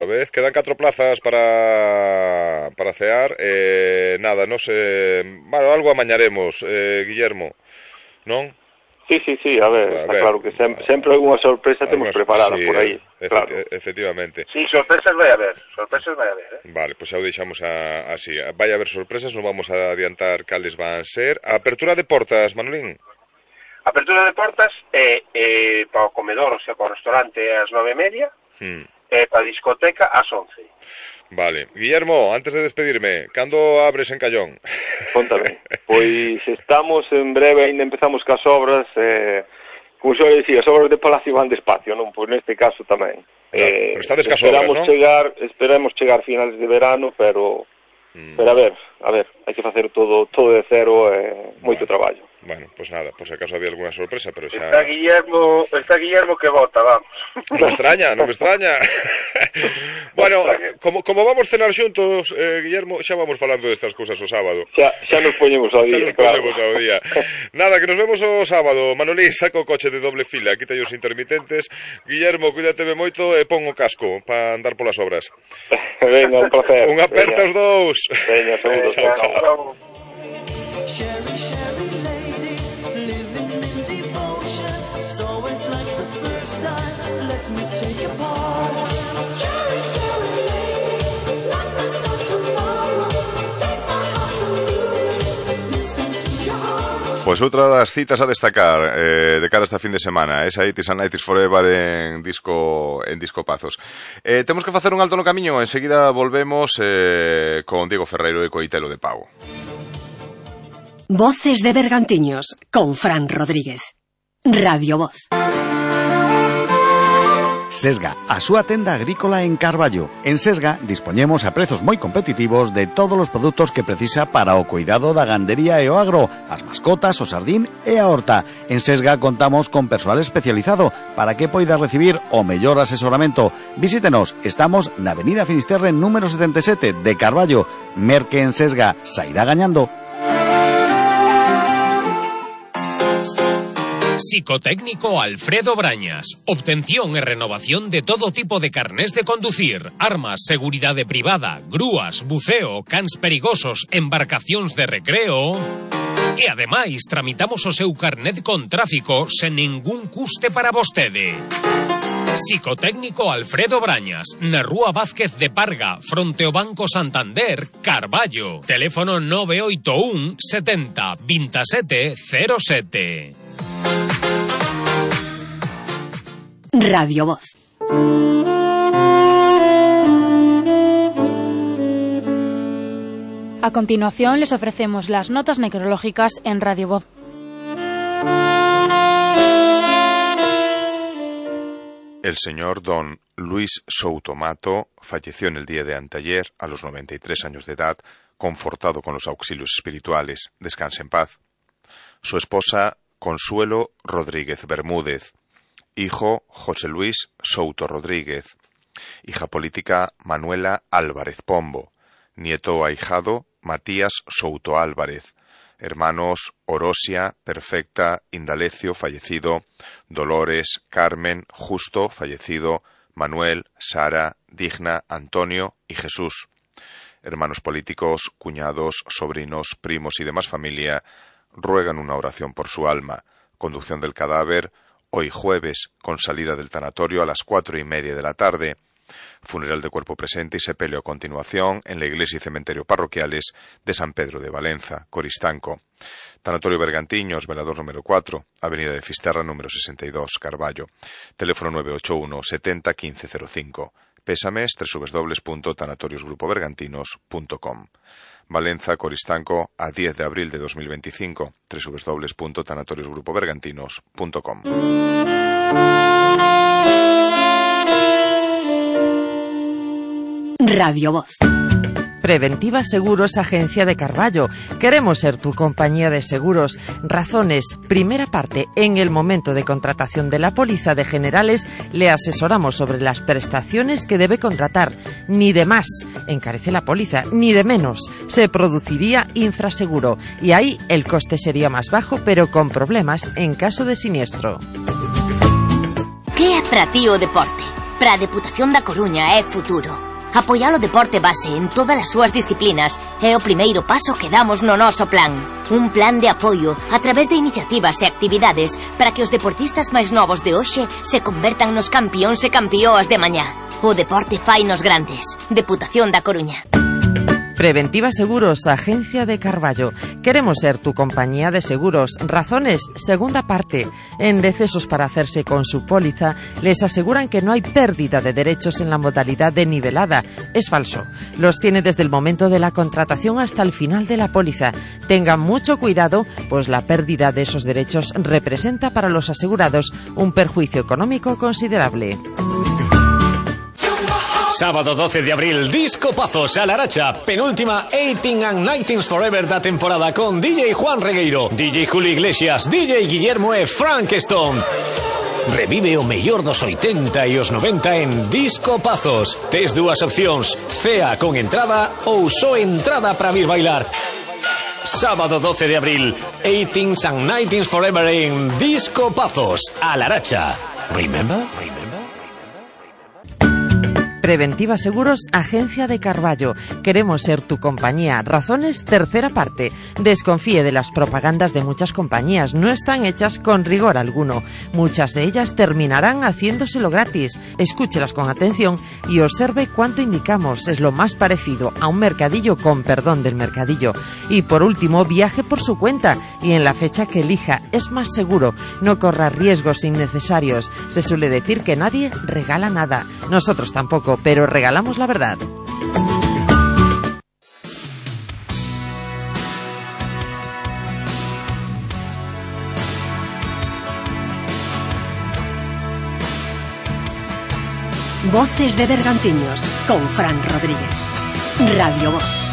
A vez, quedan 4 plazas para cear. Nada, non sé. Bueno, algo amañaremos, Guillermo, non? Sí, a ver, está claro que sempre hai unha sorpresa temos preparada sí, por aí, claro. Efectivamente. Sí, sorpresas vai haber, Vale, pois xa o deixamos así. Vai haber sorpresas, non vamos a adiantar cales van ser. A apertura de portas, Manolín. A apertura de portas para o comedor, o sea, para o restaurante ás 9:30. Para a discoteca ás 11. Vale. Guillermo, antes de despedirme, cando abres en Callón? Contame. Pois estamos en breve, ainda empezamos cas obras, como xa dicía, as obras de Palacio van despacio, non? Pois neste caso tamén. Pero estades cas obras, non? Esperamos chegar finales de verano, pero a ver, hai que facer todo de cero, moito traballo. Bueno, pues nada, por si acaso había alguna sorpresa, pero xa... Está Guillermo que vota, vamos. Non me extraña. Bueno, como vamos cenar xuntos, Guillermo, xa vamos falando destas cousas o sábado. Xa nos poñemos ao día, Nada, que nos vemos o sábado. Manolín, saca o coche de doble fila, quita os intermitentes. Guillermo, cuídateme moito e pon o casco para andar polas obras. Venga, un placer. Un aperta os dous. Veña, segundo. Chao. Pois outra das citas a destacar de cara a esta fin de semana, esa 80s and 90s Forever en disco Pazos. Temos que facer un alto no camiño, enseguida volvemos con Diego Ferreiro e Coitelo de Pau. Voces de Bergantiños con Fran Rodríguez. Radio Voz. Sesga, a súa tenda agrícola en Carballo. En Sesga dispoñemos a prezos moi competitivos de todos os produtos que precisa para o cuidado da gandería e o agro, as mascotas, o sardín e a horta. En Sesga contamos con persoal especializado para que poida recibir o mellor asesoramento. Visítenos, estamos na Avenida Finisterre número 77 de Carballo. Merque en Sesga, sairá gañando. Psicotécnico Alfredo Brañas. Obtención e renovación de todo tipo de carnés de conducir, armas, seguridade privada, grúas, buceo, cans perigosos, embarcacións de recreo. E ademais tramitamos o seu carnet con tráfico sen ningún custe para vostede. Psicotécnico Alfredo Brañas, na Rúa Vázquez de Parga, fronte ao Banco Santander, Carballo. Teléfono 981 70 27 07. Radio Voz. A continuación les ofrecemos las notas necrológicas en Radio Voz. El señor don Luis Soutomato falleció en el día de anteayer a los 93 años de edad, confortado con los auxilios espirituales. Descanse en paz. Su esposa Consuelo Rodríguez Bermúdez. Hijo José Luis Souto Rodríguez. Hija política Manuela Álvarez Pombo. Nieto ahijado Matías Souto Álvarez. Hermanos Orosia, Perfecta, Indalecio, fallecido. Dolores, Carmen, Justo, fallecido. Manuel, Sara, Digna, Antonio y Jesús. Hermanos políticos, cuñados, sobrinos, primos y demás familia ruegan una oración por su alma. Conducción del cadáver hoy jueves, con salida del tanatorio a las 4:30 de la tarde. Funeral de cuerpo presente y sepelio a continuación en la iglesia y cementerio parroquiales de San Pedro de Valenza, Coristanco. Tanatorio Bergantiños, velador número 4, avenida de Fisterra número 62, Carballo. Teléfono 981 70 1505. Pésames www.tanatoriosgrupobergantinos.com. Valenza, Coristanco, a 10 de abril de 2025, www.tanatoriosgrupobergantinos.com. Radio Voz. Preventiva Seguros, agencia de Carballo. Queremos ser tu compañía de seguros. Razones. Primera parte. En el momento de contratación de la póliza de generales, le asesoramos sobre las prestaciones que debe contratar. Ni de más encarece la póliza, ni de menos. Se produciría infraseguro. Y ahí el coste sería más bajo, pero con problemas en caso de siniestro. ¿Qué é para ti o deporte? para a Deputación da Coruña é futuro. Apoiar o deporte base en todas as súas disciplinas é o primeiro paso que damos no noso plan. Un plan de apoio a través de iniciativas e actividades para que os deportistas máis novos de hoxe se convertan nos campións e campióas de mañá. O deporte fainos grandes. Deputación da Coruña. Preventiva Seguros, Agencia de Carballo. Queremos ser tu compañía de seguros. Razones, segunda parte. En Decesos para hacerse con su póliza, les aseguran que no hay pérdida de derechos en la modalidad de nivelada. Es falso. Los tiene desde el momento de la contratación hasta el final de la póliza. Tengan mucho cuidado, pues la pérdida de esos derechos representa para los asegurados un perjuicio económico considerable. Sábado 12 de abril, Disco Pazos a Laracha, penúltima 18 and 19 Forever da temporada con DJ Juan Regueiro, DJ Julio Iglesias, DJ Guillermo e Frank Stone. Revive o mellor dos 80 e os 90 en Disco Pazos. Tes dúas opcións, cea con entrada ou só entrada para vir bailar. Sábado 12 de abril, 18 and 19 Forever en Disco Pazos a Laracha. Remember? Preventiva Seguros, Agencia de Carballo. Queremos ser tu compañía. Razones, tercera parte. Desconfíe de las propagandas de muchas compañías. No están hechas con rigor alguno. Muchas de ellas terminarán haciéndoselo gratis. Escúchelas con atención y observe cuánto indicamos. Es lo más parecido a un mercadillo, con perdón del mercadillo. Y por último, viaje por su cuenta y en la fecha que elija. Es más seguro. No corra riesgos innecesarios. Se suele decir que nadie regala nada. Nosotros tampoco, pero regalamos la verdad. Voces de Bergantiños con Fran Rodríguez. Radio Voz.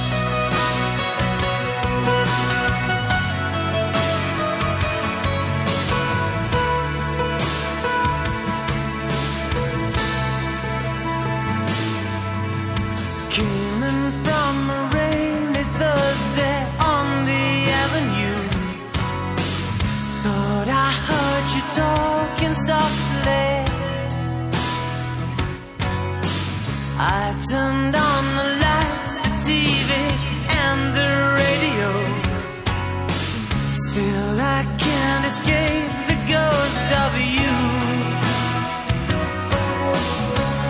I turned on the lights, the TV and the radio. Still I can't escape the ghost of you.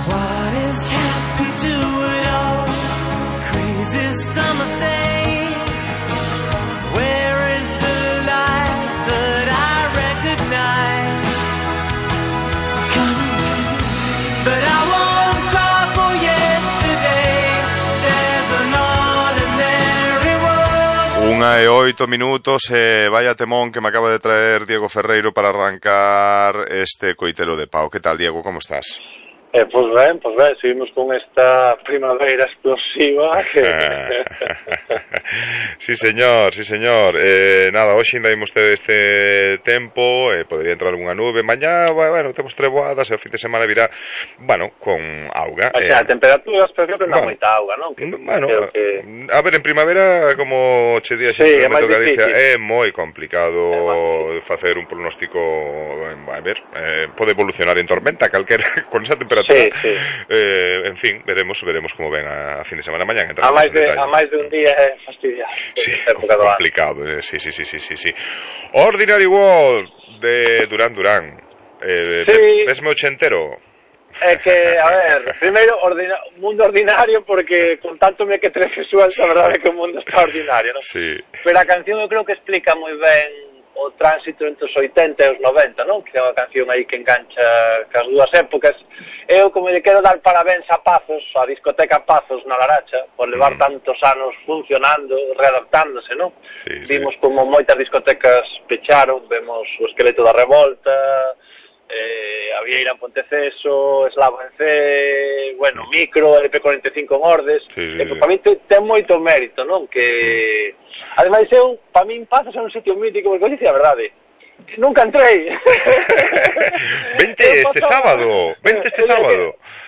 What has happened to it all? Crazy summer say, where is the light that I recognize? Come, but I won't. 1:08 minutos, vaya temón que me acaba de traer Diego Ferreiro para arrancar este coitelo de Pau. ¿Qué tal, Diego? ¿Cómo estás? Pues ben, seguimos con esta primavera explosiva que... Sí, señor. Nada, hoxe ainda imos ter este tempo, podría entrar unha nube. Mañá, bueno, temos treboadas e o fin de semana virá, bueno, con auga. A temperatura, espero que non moita auga, non? Bueno, a ver, en primavera, como che di a xente do Meto Galicia, é moi complicado facer un pronóstico, a ver, pode evolucionar en tormenta calquera con esa temperatura. Sí. En fin, veremos como ven a fin de semana mañana. A máis de un día é fastidiado. Sí, complicado. Sí. Ordinary World de Duran Duran. Vesme ochentero. É que, a ver, primeiro, mundo ordinario, porque con tanto me que tres visual, a verdade é que o mundo está ordinario, non? Sí. Pero a canción eu creo que explica moi ben o tránsito entre os 80 e os 90, non? Que é unha canción aí que engancha cas dúas épocas. Eu, como lle quero dar parabéns a Pazos, a discoteca Pazos na Laracha, por levar tantos anos funcionando, readaptándose, non? Sí. Vimos como moitas discotecas pecharon, vemos o Esqueleto da Revolta, a Vieira en Ponteceso, Eslavo en C, bueno, Micro, LP45 en Ordes, para mí ten moito mérito, non? Que, ademais, para mí Pazos é un sitio mítico, porque eu dicía a verdade, nunca entrei. Vente este sábado.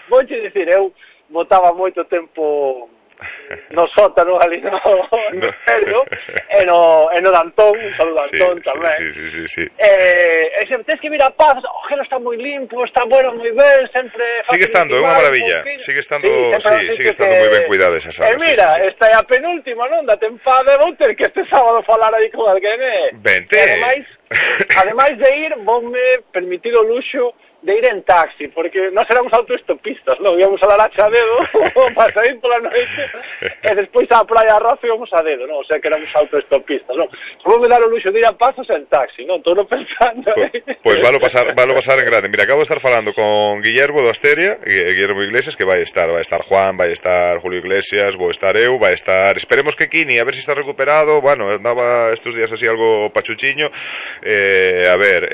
Vouche dicir, eu botaba moito tempo no sótano ali no Imperio, e no Dantón, un saludo a Dantón tamén. Sí. E sempre tens que vir a Paz, o gelo está moi limpo, está bueno, moi ben, sempre... Sigue estando, é unha maravilla, sigue estando moi ben cuidada esa sala. E mira, esta é a penúltima, non, da tempada, vou ter que este sábado falar aí con alguén, Vente. Ademais de ir, voume permitir o luxo de ir en taxi, porque nós éramos autoestopistas, non? Íamos a Laracha a dedo para sair pola noite e despois á Praia Arroz íamos a dedo, non? O sea que éramos autoestopistas, non? Vou me dar o luxo de ir a Pazos en taxi, non? Estou pensando. Pois valo pasar en grande. Mira, acabo de estar falando con Guillermo do Asteria, Guillermo Iglesias, que vai estar Juan, vai estar Julio Iglesias, vou estar eu, vai estar, esperemos que Kini, a ver se está recuperado. Bueno, andaba estes días así algo pachuchiño. A ver,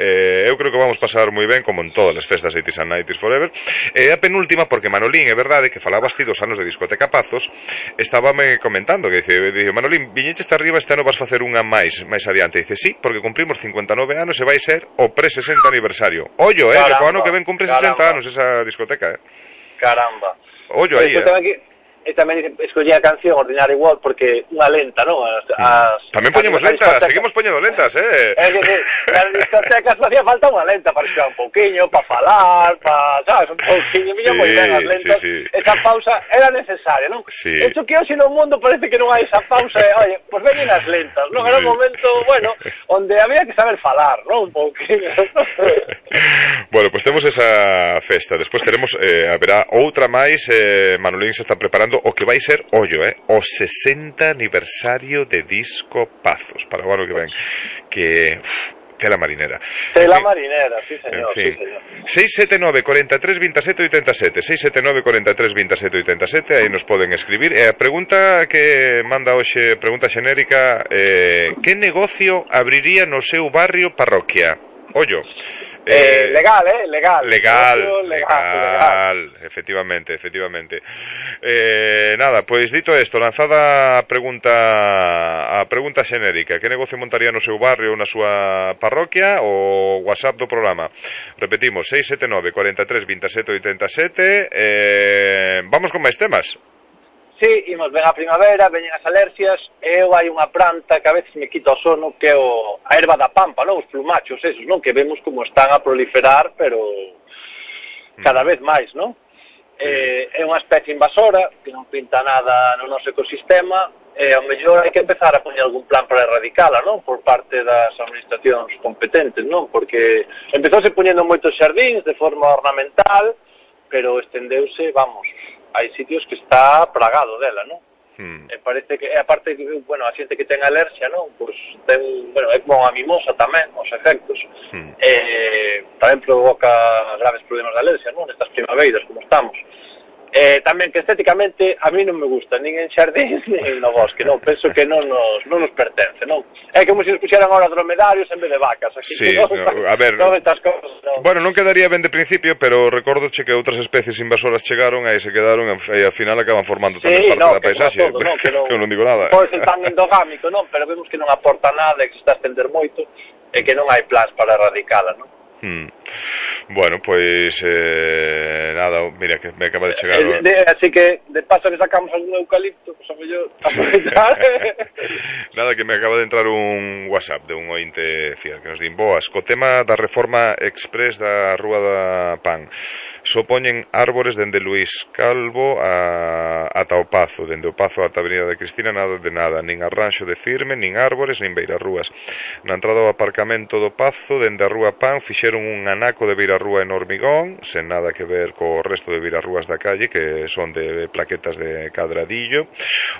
eu creo que vamos pasar moi ben, como en todas as festas 80s and 90s Forever. A penúltima, porque Manolín, é verdade que falabas ti 2 anos de discoteca Pazos, estábame comentando que dice Manolín, viñeches arriba, este ano vas facer unha máis adiante. Dice, sí, porque cumprimos 59 anos e vai ser o pre-60 aniversario. Ollo, que co ano que ven cumpre 60 anos esa discoteca, Caramba. Ollo aí, E tamén escollí a canción Ordinary World porque unha lenta, non? Tamén poñemos lentas, seguimos poñendo lentas, Nas discotecas facía falta unha lenta para xogar un pouquiño, para falar, sabes, un pouquiño, moi ben as lentas. Esa pausa era necesaria, non? De hecho, que hoxe no mundo parece que non hai esa pausa, oye, pues veñen as lentas, non? Era un momento, bueno, onde había que saber falar, non? Un pouquiño. Bueno, pues temos esa festa, despois teremos, haberá outra máis, Manolín se está preparando o que vai ser, ollo, o 60 aniversario de Disco Pazos, para o ano que ven, que... tela marinera. Tela marinera, sí, señor. En fin. 679 43 27 87, 679 43 27 87, aí nos poden escribir. E a pregunta que manda hoxe, pregunta xenérica, que negocio abriría no seu barrio parroquia? Ollo. Legal. Efectivamente. Nada, pois dito isto, lanzada a pregunta xenérica, que negocio montaría no seu barrio ou na súa parroquia, o WhatsApp do programa. Repetimos, 679 43 27 87. Vamos con máis temas. Sí, imos ben a primavera, veñen as alerxias, eu hai unha planta que a veces me quita o sono, que é a erva da pampa, non? Os plumachos esos, non? Que vemos como están a proliferar, pero cada vez máis, non? É unha especie invasora, que non pinta nada no noso ecosistema, e ao mellor hai que empezar a poñer algún plan para erradicala, non? Por parte das administracións competentes, non? Porque empezouse poñendo moitos xardíns de forma ornamental, pero estendeuse, vamos... hai sitios que está plagado dela, non? E parece que, aparte, bueno, a xente que ten alerxia, non? Pois ten, bueno, é como a mimosa tamén, os efectos. Tamén provoca graves problemas de alerxia, non? Nestas primaveiras, como estamos. Tamén que estéticamente a mí non me gusta, nin en xardín, nin no bosque, non? Penso que non nos pertence, non? É como se nos puxeran ahora dromedarios en vez de vacas. Aquí, sí, no, a ver, bueno, non quedaría ben de principio, pero recordoche que outras especies invasoras chegaron e se quedaron e ao final acaban formando tamén parte da paisaxe. Que eu non digo nada. Pode ser tan endogámico, non? Pero vemos que non aporta nada, que se está a estender moito e que non hai plans para erradicala, non? Bueno, pois nada, mira que me acaba de chegar así que de paso que sacamos algún eucalipto, pues a mellor nada, que me acaba de entrar un WhatsApp de un ointe fiel que nos din: boas, co tema da reforma express da Rúa da Pan, só poñen árbores dende Luís Calvo ata o Pazo, dende o Pazo ata a Avenida de Cristina, nada de nada, nin arranxo de firme, nin árbores, nin beirarrúas. Na entrada ao aparcamento do Pazo, dende a Rúa Pan, fixeron un anaco de beirarrúa en hormigón, sen nada que ver co resto de beirarrúas da calle, que son de plaquetas de cadradillo.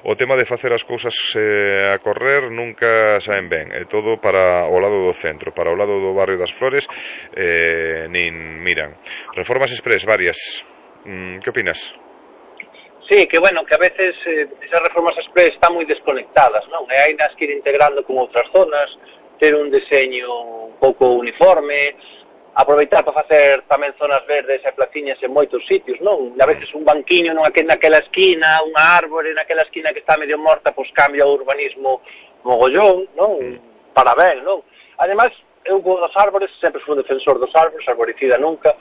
O tema de facer as cousas a correr nunca saen ben, é todo para o lado do centro, para o lado do barrio das Flores, nin miran. Reformas express varias. Que opinas? Sí, que bueno, que a veces esas reformas express están moi desconectadas, non? E hai nas que ir integrando con outras zonas, ter un deseño un pouco uniforme, aproveitar para facer tamén zonas verdes e placiñas en moitos sitios, non? A veces un banquiño naquela esquina, unha árbore naquela esquina que está medio morta, pois cambia o urbanismo mogollón, non? Para ben, non? Ademais, eu dos árbores, sempre fui un defensor dos árbores, arboricida nunca,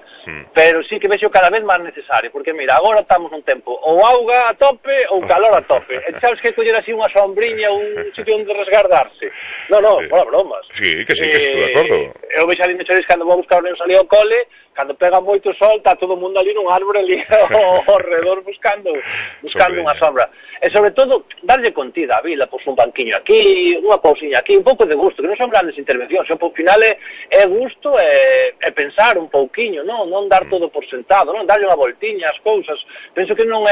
pero sí que vexo cada vez máis necesario, porque mira, agora estamos nun tempo ou auga a tope ou calor a tope, e sabes que coller así unha sombriña, un sitio onde resguardarse. Non, fora bromas. Sí, que estou de acordo. Eu vexo ali mexores cando vou buscar os nenos ali ao cole, cando pega moito sol, está todo o mundo ali nun árbore ali ao redor buscando unha sombra. E sobre todo, darlle contida á vila, pois un banquiño aquí, unha cousiña aquí, un pouco de gusto, que non son grandes intervencións, ao final é gusto e pensar un pouquiño, non dar todo por sentado, non darlle unha voltiña ás cousas. Penso que non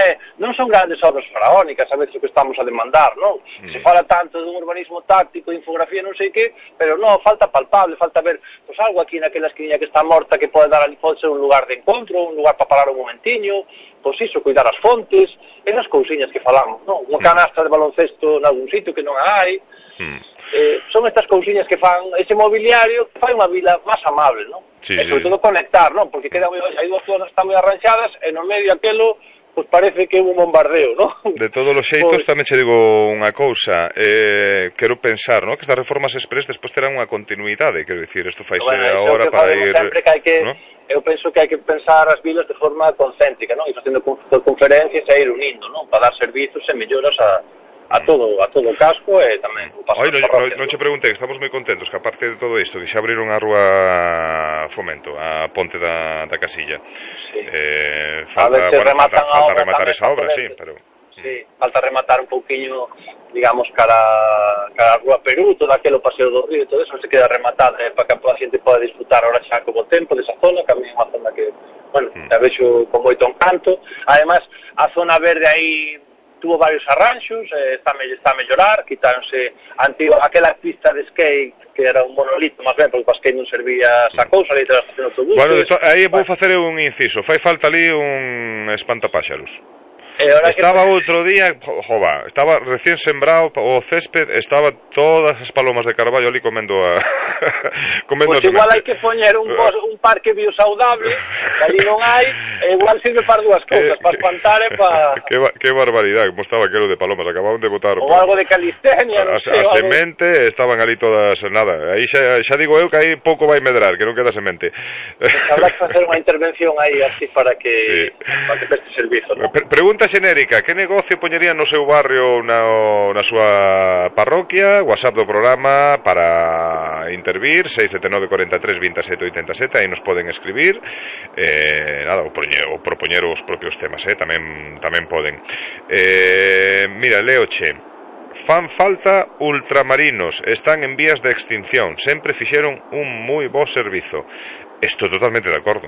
son grandes obras faraónicas a veces o que estamos a demandar, non? Se fala tanto dun urbanismo táctico, de infografía, non sei que, pero non, falta palpable, falta ver pois algo aquí naquela esquina que está morta que pode dar ali, pode ser un lugar de encontro, un lugar para parar un momentiño, pois iso, cuidar as fontes, esas cousiñas que falamos, non? Unha canastra de baloncesto nalgún sitio que non hai. Son estas cousiñas que fan ese mobiliario que fai unha vila máis amable, non? E sobre todo conectar, non? Porque hai dúas zonas que están moi arranxadas e no medio aquelo pois parece que é un bombardeo, non? De todos os xeitos, tamén che digo unha cousa, quero pensar, non? Que estas reformas express despois terán unha continuidade, quero dicir, isto faise agora para ir... Eu penso que hai que pensar as vilas de forma concéntrica, non? E facendo conferencias e ir unindo, non? Para dar servizos e melloras a todo o casco e tamén o paso das parroquias. Non che preguntei, estamos moi contentos que aparte de todo isto, que xa abriron a Rúa Fomento, a Ponte da Casilla. Falta rematar esa obra, sí, pero... Sí, falta rematar un pouquiño, digamos, cara a Rúa Perú, todo aquelo paseo do río, todo eso se queda rematado para que a xente poda disfrutar ahora xa como tempo desa zona, que a mí é unha zona que, bueno, a vexo con moito encanto. Además, a zona verde aí tuvo varios arranxos, está a mellorar, quitáronse aquela pista de skate que era un monolito, máis ben, porque para skate non servía esa cousa, ali tras estación de autobuses. Bueno, aí vou facer un inciso, fai falta ali un espantapáxaros. Estaba outro día, estaba recién sembrado o césped, estaba todas as palomas de Carballo ali comendo a Pois igual hai que poñer un parque biosaudable, que ali non hai, e igual sirve para dúas cousas, para espantar e para... Que barbaridade, como estaba aquelo de palomas, acababan de botar... Ou algo de calistenia, non sei. A semente estaban ali todas, nada, aí xa digo eu que aí pouco vai medrar, que non queda semente. Habrá que facer unha intervención aí así para que preste servizo, non? Pregunta xenérica, que negocio poñerían no seu barrio na súa parroquia? WhatsApp do programa para intervir, 679 43 27 87, aí nos poden escribir, ou propoñer os propios temas, tamén poden. Mira, leoche, fan falta ultramarinos, están en vías de extinción, sempre fixeron un moi bo servizo. Estou totalmente de acordo.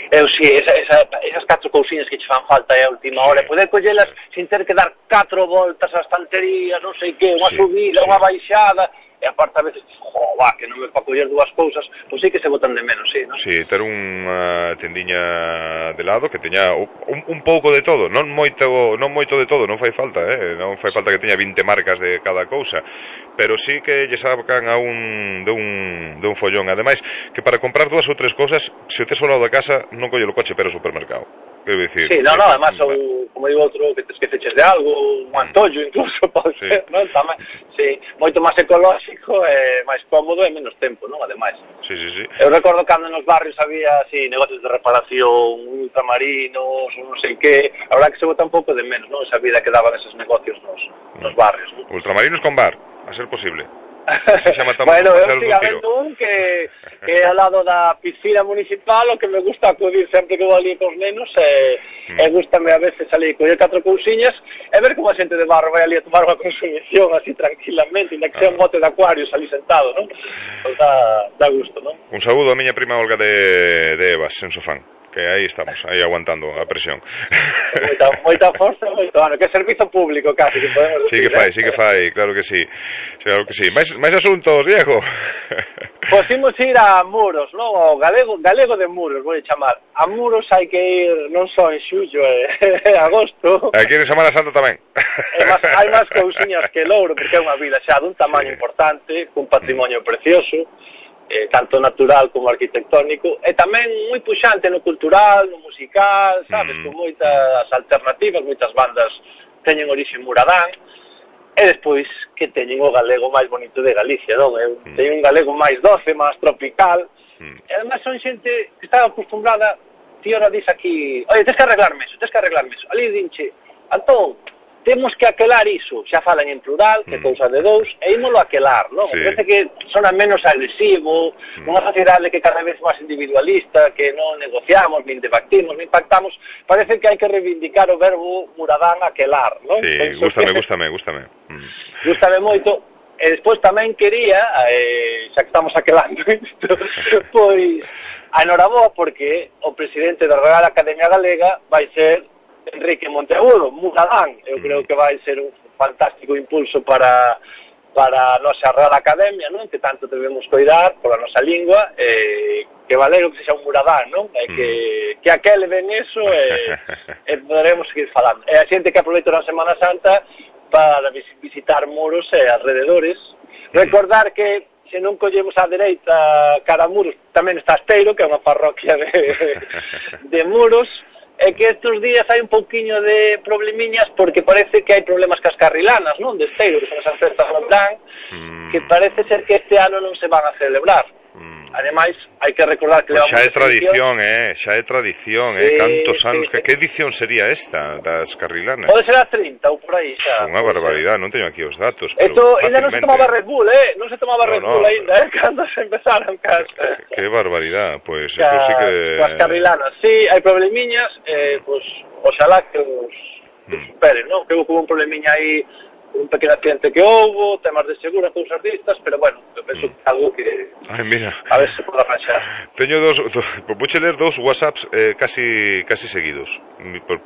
Eu si, esas 4 cousiñas que che fan falta a última hora, poder collelas sin ter que dar 4 voltas ás estanterías, non sei que, unha subida, unha baixada, e aparte a veces, que non me pa coller dúas cousas, pois sí que se botan de menos, sí, non? Sí, ter unha tendiña de lado que teña un pouco de todo, non moito de todo, non fai falta, non fai falta que teña 20 marcas de cada cousa, pero sí que lle sacan de un follón. Ademais, que para comprar 2 ou 3 cousas, se o tes ao lado da casa, non colle o coche para o supermercado. Quero dicir... Sí, además, como digo outro, que te esqueces de algo, un antollo incluso, pode ser, non? Tamén, sí, moito máis ecolóxico, máis cómodo e menos tempo, non? Ademais. Sí. Eu recordo cando nos barrios había, así, negocios de reparación, ultramarinos, non sei que, a verdad que se bota un pouco de menos, non? Esa vida que daban esos negocios nos barrios, non? Ultramarinos con bar, a ser posible. Bueno, eu sigo habendo un que é ao lado da piscina municipal, o que me gusta acudir sempre que vou ali cos nenos, e gustame a veces ali coller 4 cousiñas e ver como a xente de barro vai ali a tomar unha consumición así tranquilamente, ainda que sea un bote de acuarios ali sentado, non? Pues dá gusto, non? Un saúdo a miña prima Olga de Evas, en Sofán, que aí estamos, aí aguantando a presión. Moita forza, bueno, que servizo público casi que podemos decir. Sí que fai, claro que sí. Mais asuntos, Diego. Pois imos ir a Muros, non? O galego de Muros, vou chamar. A Muros hai que ir non só en xullo e agosto. Aquí en Semana Santa tamén. Hai máis cousiñas que Louro, porque é unha vila xa dun tamaño importante, cun patrimonio precioso, tanto natural como arquitectónico, e tamén moi puxante no cultural, no musical, sabes, con moitas alternativas, moitas bandas teñen orixe muradán, E despois que teñen o galego máis bonito de Galicia, non? Teñen un galego máis doce, máis tropical. E además son xente que está acostumbrada. Ti ora dis aquí, oye, tens que arreglarme eso. Ali dinche, Antón, temos que aquelar iso. Xa falan en plural, que cousa de dous, e ímolo aquelar, non? Sí. Parece que sona menos agresivo, unha sociedade que cada vez máis individualista, que non negociamos, nin debatimos, nin pactamos. Parece que hai que reivindicar o verbo muradán aquelar, non? Sí, gústame. Gústame moito. E despois tamén quería, xa que estamos aquelando isto, pois a enhoraboa porque o presidente da Real Academia Galega vai ser Enrique Monteagudo, Muradán. Eu creo que vai ser un fantástico impulso para a nosa Real Academia, non? Que tanto debemos cuidar pola nosa lingua, que valero que sexa un Muradán, non? Que aquele ven eso e poderemos seguir falando. E a xente que aproveita a Semana Santa para visitar Muros e alrededores. Recordar que se non collemos á dereita cara a Muros, tamén está Esteiro, que é unha parroquia de Muros, e que estes días hai un pouquiño de problemiñas porque parece que hai problemas cas carrilanas, non? De Esteiro, que son as festas do Plan, que parece ser que este ano non se van a celebrar. Ademais, hai que recordar que xa é tradición, cantos anos, que edición sería esta das carrilanas? Pode ser a 30 ou por aí xa. Unha barbaridade, non teño aquí os datos. Esto ainda non se tomaba Red Bull, non se tomaba Red Bull ainda, cando se empezaron casas. Que barbaridade, pois isto sí que... As carrilanas, sí, hai problemiñas, pois, oxalá que os superen, non? Creo que hubo un problemiña aí, un pequeno accidente que houbo, temas de seguro, cousas distas, pero bueno, eu penso que algo que... Ai, mira. A ver se pode arranxar. Teño vouche ler dous WhatsApps casi seguidos,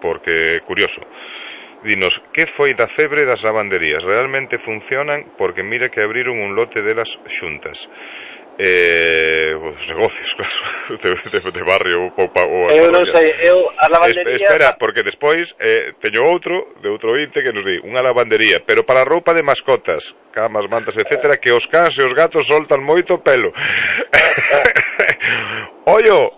porque curioso. Dinos, que foi da febre das lavanderías? Realmente funcionan? Porque mira que abriron un lote delas xuntas. Os negocios, claro, de barrio ou eu non sei, as lavanderías... Espera, porque despois teño outro, de outro ointe, que nos di unha lavandería, pero para roupa de mascotas, camas, mantas, etcétera, que os cans e os gatos soltan moito pelo. Ollo,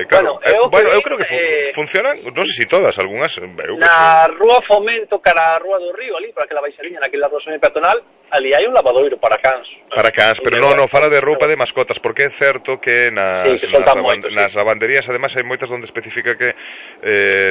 claro, bueno, eu creo que funcionan, non sei se todas, algunhas na Rúa Fomento cara a Rúa do Río, ali, para que la baixariña, naquela rúa semi-peatonal, ali hai un lavadoiro para cans. Para cans, pero non fala de roupa de mascotas, porque é certo que nas lavanderías, ademais, hai moitas onde especifica que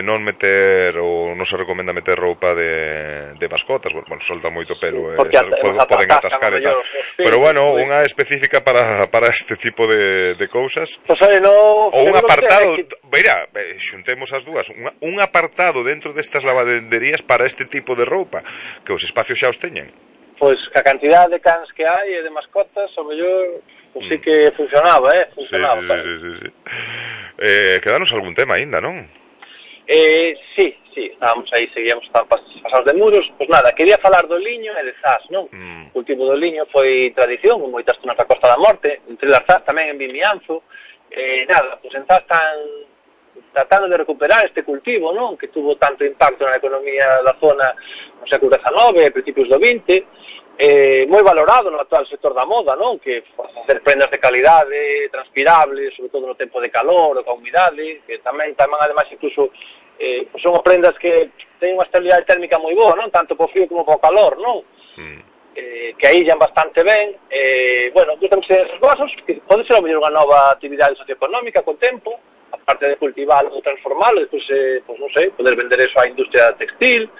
non meter, ou non se recomenda meter roupa de mascotas, bueno, solta moito pelo, poden atascar e tal. Pero bueno, unha específica para este tipo de cousas, ou un apartado, mira, xuntemos as dúas, un apartado dentro destas lavanderías para este tipo de roupa, que os espacios xa os teñen. Pois a cantidad de cans que hai e de mascotas, ao mellor, pois sí que funcionaba, funcionaba. Sí. Quedanos algún tema aínda, non? Sí, estábamos aí, seguíamos pasados de Muros. Pois nada, quería falar do liño e de Zas, non? O cultivo do liño foi tradición, con moitas zonas da Costa da Morte, entre las Zas, tamén en Vimianzo. Nada, pois en Zas están tratando de recuperar este cultivo, non? Que tuvo tanto impacto na economía da zona no século XIX e principios do XX, moi valorado no actual sector da moda, non? Que facer prendas de calidade, transpirables, sobre todo no tempo de calor ou ca humidade, que tamén ademais incluso son prendas que teñen unha estabilidade térmica moi boa, non? Tanto po frío como po calor, non? Que aíllan bastante ben. Bueno, gustamos esos vasos, que pode ser a mellor unha nova actividade socioeconómica con tempo, aparte de cultivarlo ou transformarlo, despois, pues non sei, poder vender eso á industria textil.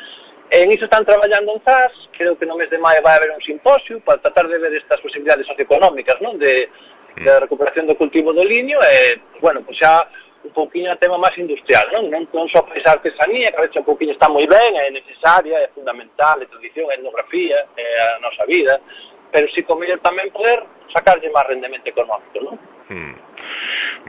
En iso están traballando en Zas, creo que no mes de maio vai haber un simposio para tratar de ver estas posibilidades socioeconómicas, non? De recuperación do cultivo do liño e, bueno, pues xa un pouquinho a tema máis industrial, non? Non só para esa artesanía, que a veces un pouquinho está moi ben, é necesaria, é fundamental, é tradición, é etnografía, é a nosa vida, pero si con mellor tamén poder sacarlle máis rendemento económico, non?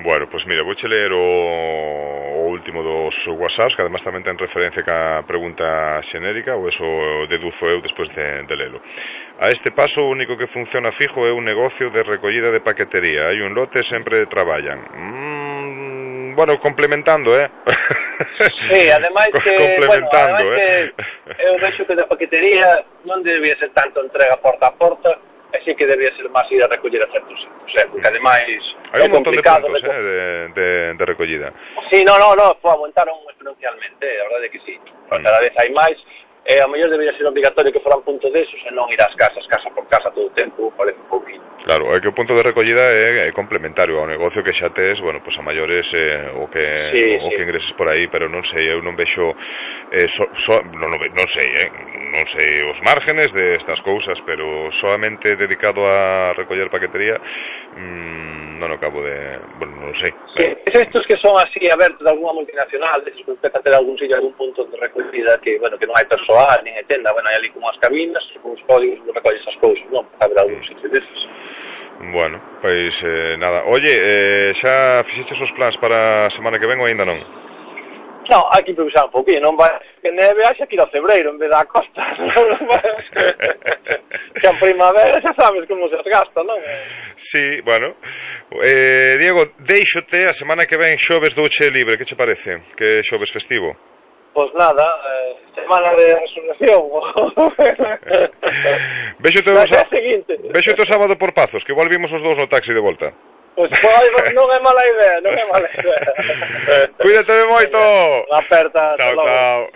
Bueno, pois mira, vouche ler o último dos WhatsApps, que además tamén ten referencia ca pregunta xenérica, ou eso deduzo eu despois de lelo. A este paso, o único que funciona fijo é un negocio de recollida de paquetería. Hai un lote, sempre traballan. Bueno, complementando, Sí, ademais que, complementando, bueno, ademais que eu vexo que de paquetería non debía ser tanto entrega porta a porta, así que debía ser máis ir a recoller a certos sitios, porque ademais hai un montón de puntos de recollida. Sí, no, aumentaron exponencialmente, a verdade que sí, cada vez hai máis, A mellor debería ser obligatorio que foran punto desos e non ir ás casas, casa por casa todo o tempo, parece un pouquinho. Claro, é que o punto de recollida é complementario ao negocio que xa tes, bueno, pois a maiores o que ingreses por aí, pero non sei, eu non vexo non sei os márgenes de estas cousas, pero solamente dedicado a recoller paquetería non acabo de... bueno, non sei. Estos que son así abertos de alguna multinacional, deses que empezan a ter algún sitio, algún punto de recollida que, bueno, que non hai persoal, nin hai tenda, bueno, hai ali como as cabinas, con os códigos que recolles as cousas, non? A ver algún sitio deses. Bueno, pois nada. Oye, xa fixeches os plans para a semana que ven ou aínda non? Non, hai que improvisar un pouquinho, non vai que neve haxa que ir ao febreiro en vez da costa. Que a primavera xa sabes como se gasta, non? Sí, bueno. Diego, deixote a semana que ven xoves douche libre, que che parece? Que xoves festivo? Pois nada, semana de resurrección. Véxote o sábado por Pazos, que igual vimos os dous no taxi de volta. Pois non é mala idea, non é mala idea. Cuídate de moito. Aperta. Chao, chao.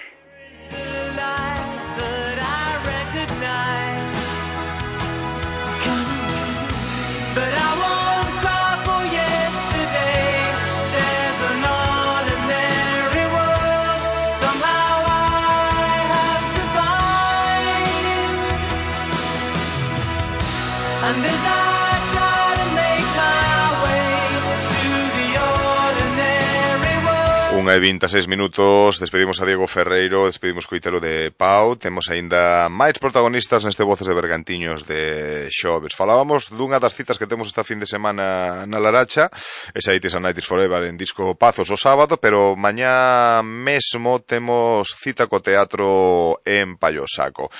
Unha e 26 minutos, despedimos a Diego Ferreiro, despedimos Coitelo de Pau, temos aínda máis protagonistas neste Voces de Bergantiños de xoves. Falábamos dunha das citas que temos esta fin de semana na Laracha, esa 80s and 90s Forever en Disco Pazos o sábado, pero mañá mesmo temos cita co teatro en Pallosaco.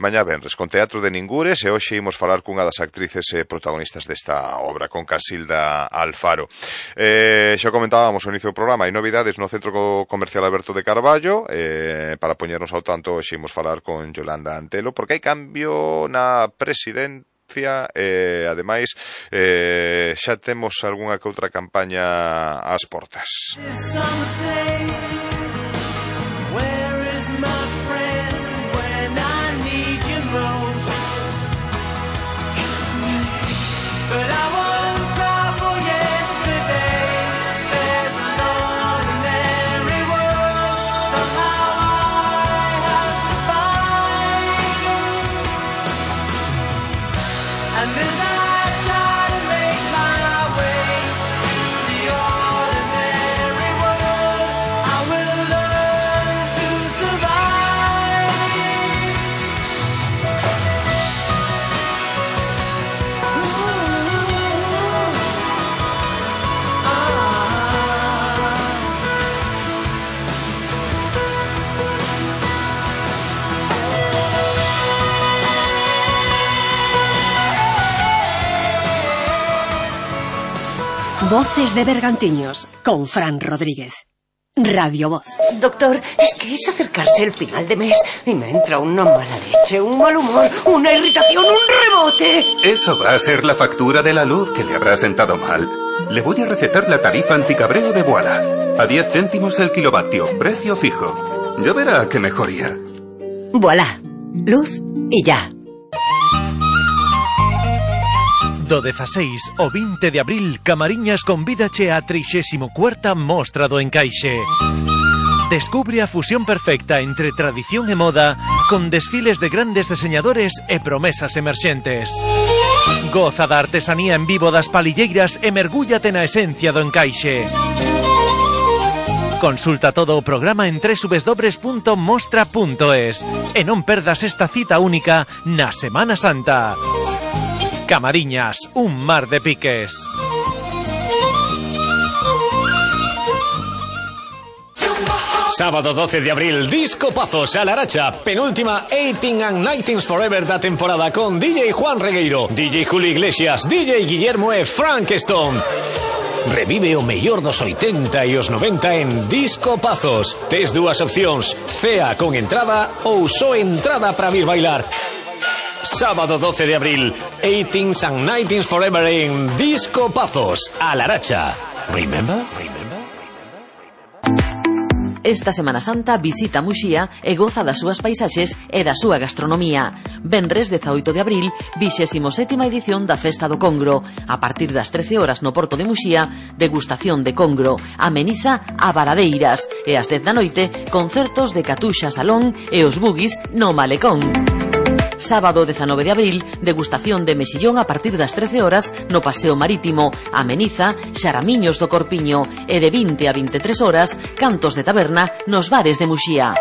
Mañá venres, con Teatro de Ningures, e hoxe imos falar cunha das actrices protagonistas desta obra, con Casilda Alfaro. Xa comentábamos ao inicio do programa, hai novidades no Centro Comercial Alberto de Carballo, para poñernos ao tanto ximos falar con Yolanda Antelo, porque hai cambio na presidencia e ademais xa temos algunha que outra campaña ás portas. Voces de Bergantiños, con Fran Rodríguez. Radio Voz. Doctor, es que es acercarse el final de mes y me entra una mala leche, un mal humor, una irritación, un rebote. Eso va a ser la factura de la luz que le habrá sentado mal. Le voy a recetar la tarifa anticabreo de Voilà. A 10 céntimos el kilovatio, precio fijo. Ya verá qué mejoría. Voilà. Luz y ya. Do 16 o 20 de abril, Camariñas convídache a 34ª Mostra do Encaixe. Descubre a fusión perfecta entre tradición e moda, con desfiles de grandes diseñadores e promesas emerxentes. Goza da artesanía en vivo das palilleiras e mergúllate na esencia do encaixe. Consulta todo o programa en www.mostra.es e non perdas esta cita única na Semana Santa. Camariñas, un mar de piques. Sábado 12 de abril, Disco Pazos a Laracha, penúltima 18 and 19s Forever da temporada, con DJ Juan Regueiro, DJ Julio Iglesias, DJ Guillermo e Frank Stone. Revive o mellor dos 80 e os 90 en Disco Pazos. Tes dúas opcións, cea con entrada ou só entrada para vir bailar. Sábado 12 de abril, 18s and 19s Forever en Disco Pazos a Laracha. Remember? Esta Semana Santa visita Muxía e goza das súas paisaxes e da súa gastronomía. Venres 18 de abril, 27ª edición da Festa do Congro. A partir das 13 horas no Porto de Muxía, degustación de congro, ameniza a Varadeiras e ás 10 da noite, concertos de Catuxa Salón e os Bugis no Malecón. Sábado 19 de abril, degustación de mexillón a partir das 13 horas no Paseo Marítimo, ameniza Xaramiños do Corpiño e de 20 a 23 horas, cantos de taberna nos bares de Muxía.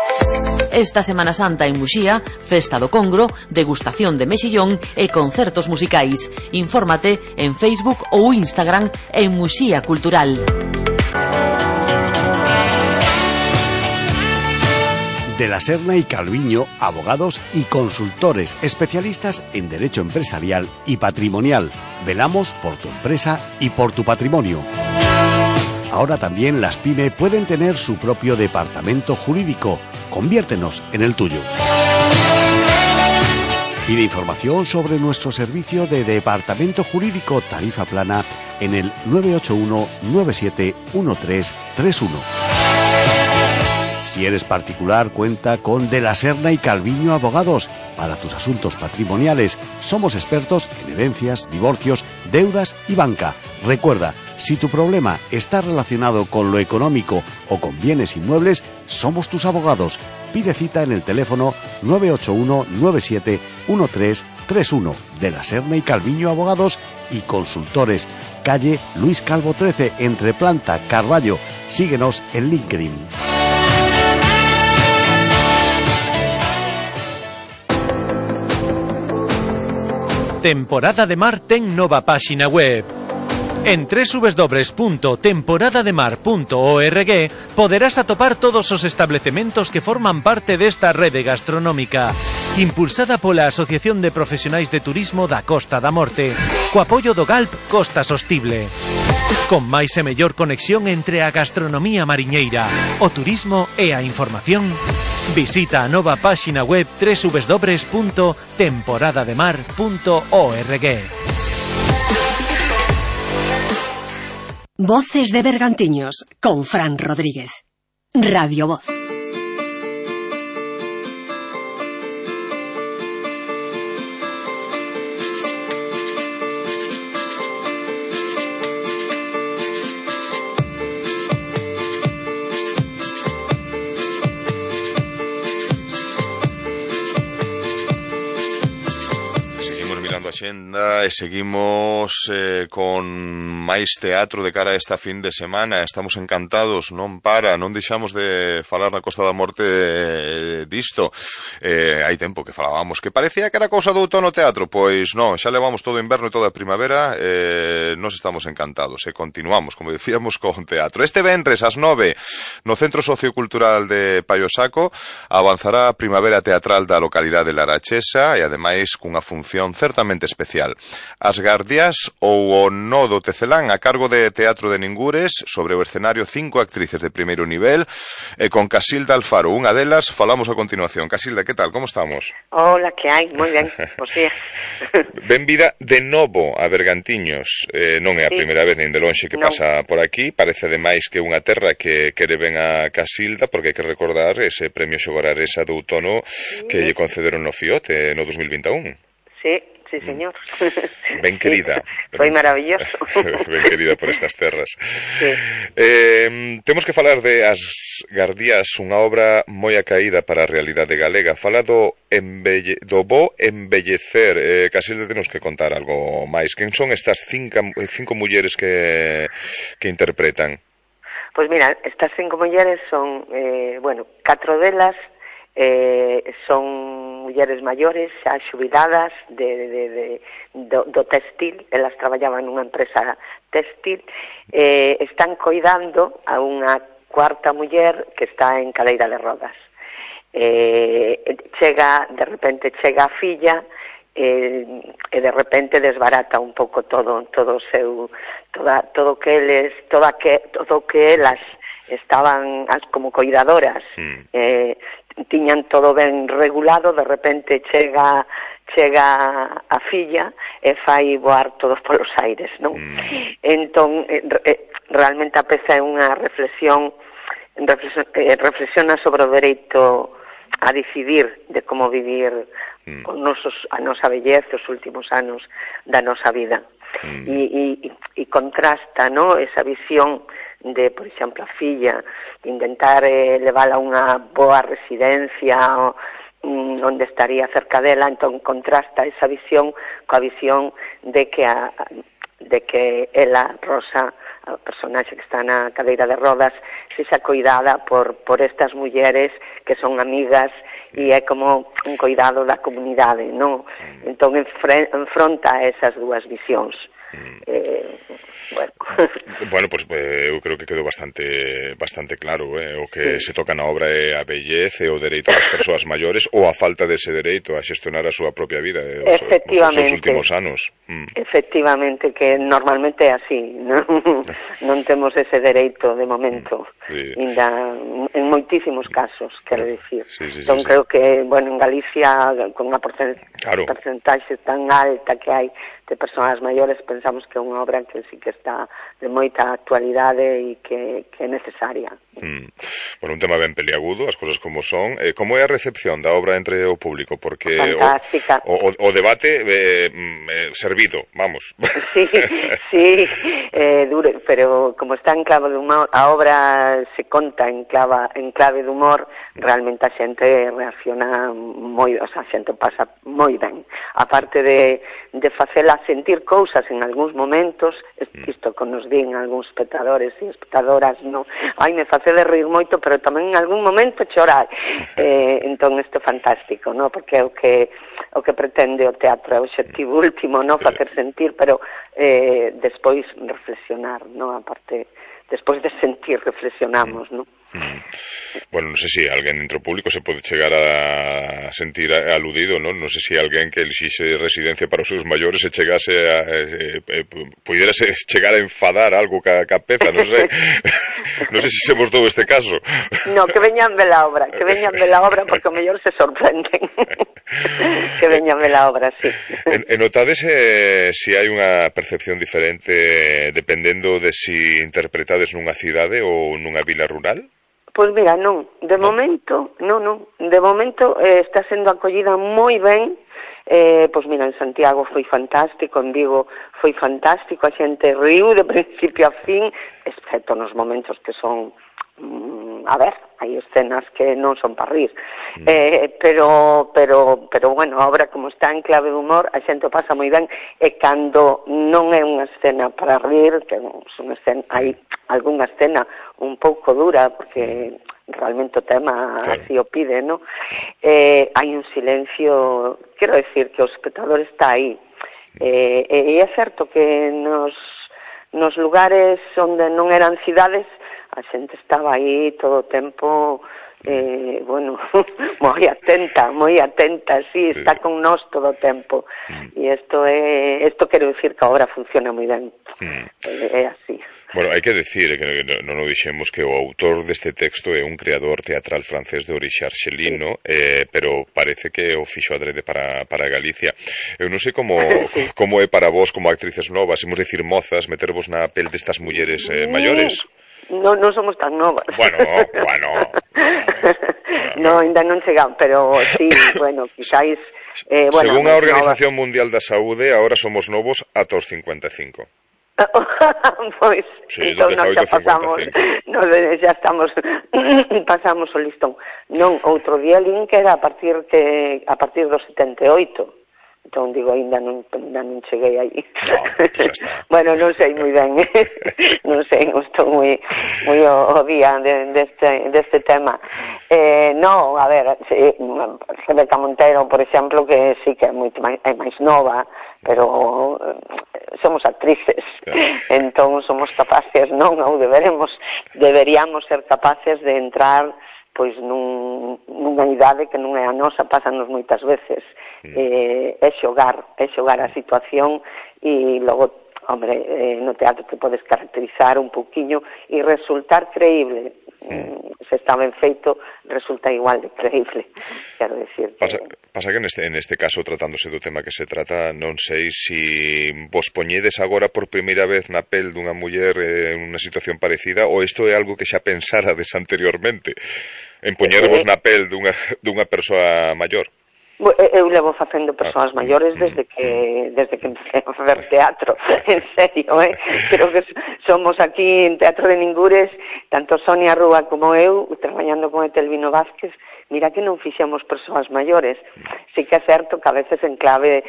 Esta Semana Santa en Muxía, Festa do Congro, degustación de mexillón e concertos musicais. Infórmate en Facebook ou Instagram en Muxía Cultural. De la Serna y Calviño, abogados y consultores especialistas en derecho empresarial y patrimonial. Velamos por tu empresa y por tu patrimonio. Ahora también las PYME pueden tener su propio departamento jurídico. Conviértenos en el tuyo. Pide información sobre nuestro servicio de departamento jurídico tarifa plana en el 981 97 1331. Si eres particular, cuenta con De la Serna y Calviño Abogados. Para tus asuntos patrimoniales, somos expertos en herencias, divorcios, deudas y banca. Recuerda, si tu problema está relacionado con lo económico o con bienes inmuebles, somos tus abogados. Pide cita en el teléfono 981 97 1331. De la Serna y Calviño Abogados y Consultores. Calle Luis Calvo 13, entre Planta, Carballo. Síguenos en LinkedIn. Temporada de Mar ten nova páxina web. En www.temporadademar.org poderás atopar todos os establecementos que forman parte desta rede gastronómica, impulsada pola Asociación de Profesionais de Turismo da Costa da Morte, co apoio do GALP Costa Sostible. Con máis e mellor conexión entre a gastronomía mariñeira, o turismo e a información, visita a nova páxina web www.temporadademar.org. Voces de Bergantiños con Fran Rodríguez. Radio Voz. E seguimos con máis teatro de cara a esta fin de semana. Estamos encantados, non deixamos de falar na Costa da Morte disto. Hai tempo que falábamos que parecía que era cousa do outono teatro, pois non, xa levamos todo o inverno e toda a primavera. Nos estamos encantados e continuamos, como decíamos, con teatro. Este venres ás 9 no Centro Sociocultural de Paiosaco avanzará a Primavera Teatral da localidade de Larachesa e ademais cunha función certamente especial. As Gardias ou o Nodo Tecelán a cargo de Teatro de Ningures, sobre o escenario 5 actrices de primeiro nivel e con Casilda Alfaro, unha delas, falamos a continuación. Casilda, que tal? Como estamos? Hola, que hai? Moi ben, por si. Benvida de novo a Bergantiños. Non é a primeira vez nin de lonxe que pasa por aquí. Parece ademais que unha terra que quere ben a Casilda, porque hai que recordar ese premio Xogararesa do outono que lle concederon no Fiote no 2021. Sí, señor. Ben querida. Foi maravilloso. Ben querida por estas terras. Sí. Temos que falar de As Gardías, unha obra moi acaída para a realidade galega. Fala do bo embellecer. Casilda, temos que contar algo máis. Quen son estas cinco mulleres que interpretan? Pois mira, estas 5 mulleres son, 4 delas son mulleres maiores, xa xubiladas do textil. Elas traballaban nunha empresa textil, están coidando a unha cuarta muller que está en cadeira de rodas. De repente chega a filla e de repente desbarata un pouco todo o seu todo que elas estaban como coidadoras, tiñan todo ben regulado. De repente chega a filla e fai voar todos polos aires, non? Entón, realmente a peza é unha reflexión reflexiona sobre o dereito a decidir de como vivir a nosa vellez, os últimos anos da nosa vida. E contrasta, no, esa visión de, por exemplo, a filla, intentar levala a unha boa residencia onde estaría cerca dela, entón contrasta esa visión coa visión de que ela, Rosa, a personaxe que está na cadeira de rodas, sexa coidada por estas mulleres que son amigas e é como un coidado da comunidade, non? Entón enfronta esas dúas visións. Bueno, pues eu creo que quedou bastante claro, o que se toca na obra é a bellez e o dereito das persoas maiores ou a falta dese dereito a xestionar a súa propia vida os seus últimos anos. Efectivamente, que normalmente é así, non temos ese dereito de momento, ainda en moitísimos casos, quero dicir. Entón creo que, bueno, en Galicia, con unha porcentaxe tan alta que hai de persoas maiores, pensamos que é unha obra que sí que está de moita actualidade e que é necesaria. Bueno, un tema ben peliagudo, as cousas como son. Como é a recepción da obra entre o público? Porque fantástica. O debate servido, vamos. Sí, duro, pero como está en clave de humor, a obra se conta en clave de humor, realmente a xente reacciona moi, o sea, a xente pasa moi ben. A parte de facela sentir cousas en algúns momentos, isto que nos din algúns espectadores e espectadoras, no, ai, me face de rir moito, pero tamén en algún momento chorar. Entón isto é fantástico, no? Porque é o que pretende o teatro, é o obxectivo último, no? Facer sentir, pero despois reflexionar, no? A parte, despois de sentir, reflexionamos, no? Bueno, non sei se alguén dentro público se pode chegar a sentir aludido, non? Non sei se alguén que elixixe residencia para os seus maiores se chegase pudiérase chegar a enfadar algo ca peza, non sei. Non sei se se vos dou este caso. No, que veñan ver la obra, porque o mellor se sorprenden. Que veñan ver la obra, sí. E notades se hai unha percepción diferente dependendo de si interpretades nunha cidade ou nunha vila rural? Pois mira, non, de momento está sendo acollida moi ben. Pois mira, en Santiago foi fantástico, en Vigo foi fantástico, a xente riu de principio a fin, excepto nos momentos que son a ver, hai escenas que non son para rir, pero bueno, a obra como está en clave de humor, a xente o pasa moi ben, e cando non é unha escena para rir, que hai algunha escena un pouco dura, porque realmente o tema así o pide, ¿no? Hai un silencio, quero decir que o espectador está aí, e é certo que nos lugares onde non eran cidades, a xente estaba aí todo o tempo, bueno, moi atenta, sí, está con nós todo o tempo. E isto quero dicir que a obra funciona moi ben. É así. Bueno, hai que decir que non o dixemos que o autor deste texto é un creador teatral francés de orixe arxelino, pero parece que o fixo adrede para Galicia. Eu non sei como é para vos como actrices novas, imos dicir mozas, metervos na pel destas mulleres maiores. Non somos tan novas. Bueno. No, ainda non chegamos, pero sí, bueno, quizáis... Según a Organización Mundial da Saúde, agora somos novos ata os 55. Pois, sí, entón nós xa pasamos, xa estamos, pasamos o listón. Non, outro día lin que era a partir dos 78. Entón, digo, ainda non cheguei aí. No, bueno, non sei moi ben, non sei, estou moi o día deste tema. No, a ver, Rebeca Montero, por exemplo, que sí que é máis nova, pero somos actrices, entón somos capaces, non, ou deberíamos ser capaces de entrar pois nunha idade que non é a nosa, pásanos moitas veces, é xogar a situación, e logo, hombre, no teatro te podes caracterizar un pouquiño e resultar creíble, se está ben feito, resulta igual de creíble. Quero decir que... Pasa que neste caso, tratándose do tema que se trata, non sei se vos poñedes agora por primeira vez na pel dunha muller en unha situación parecida, ou isto é algo que xa pensarades anteriormente, en poñervos na pel dunha persoa maior. Eu levo facendo persoas maiores desde que empecé a facer teatro, en serio, creo que somos aquí en Teatro de Ningures, tanto Sonia Rúa como eu, traballando con Etelvino Vázquez, mira que non fixemos persoas maiores. Sí que é certo que a veces en clave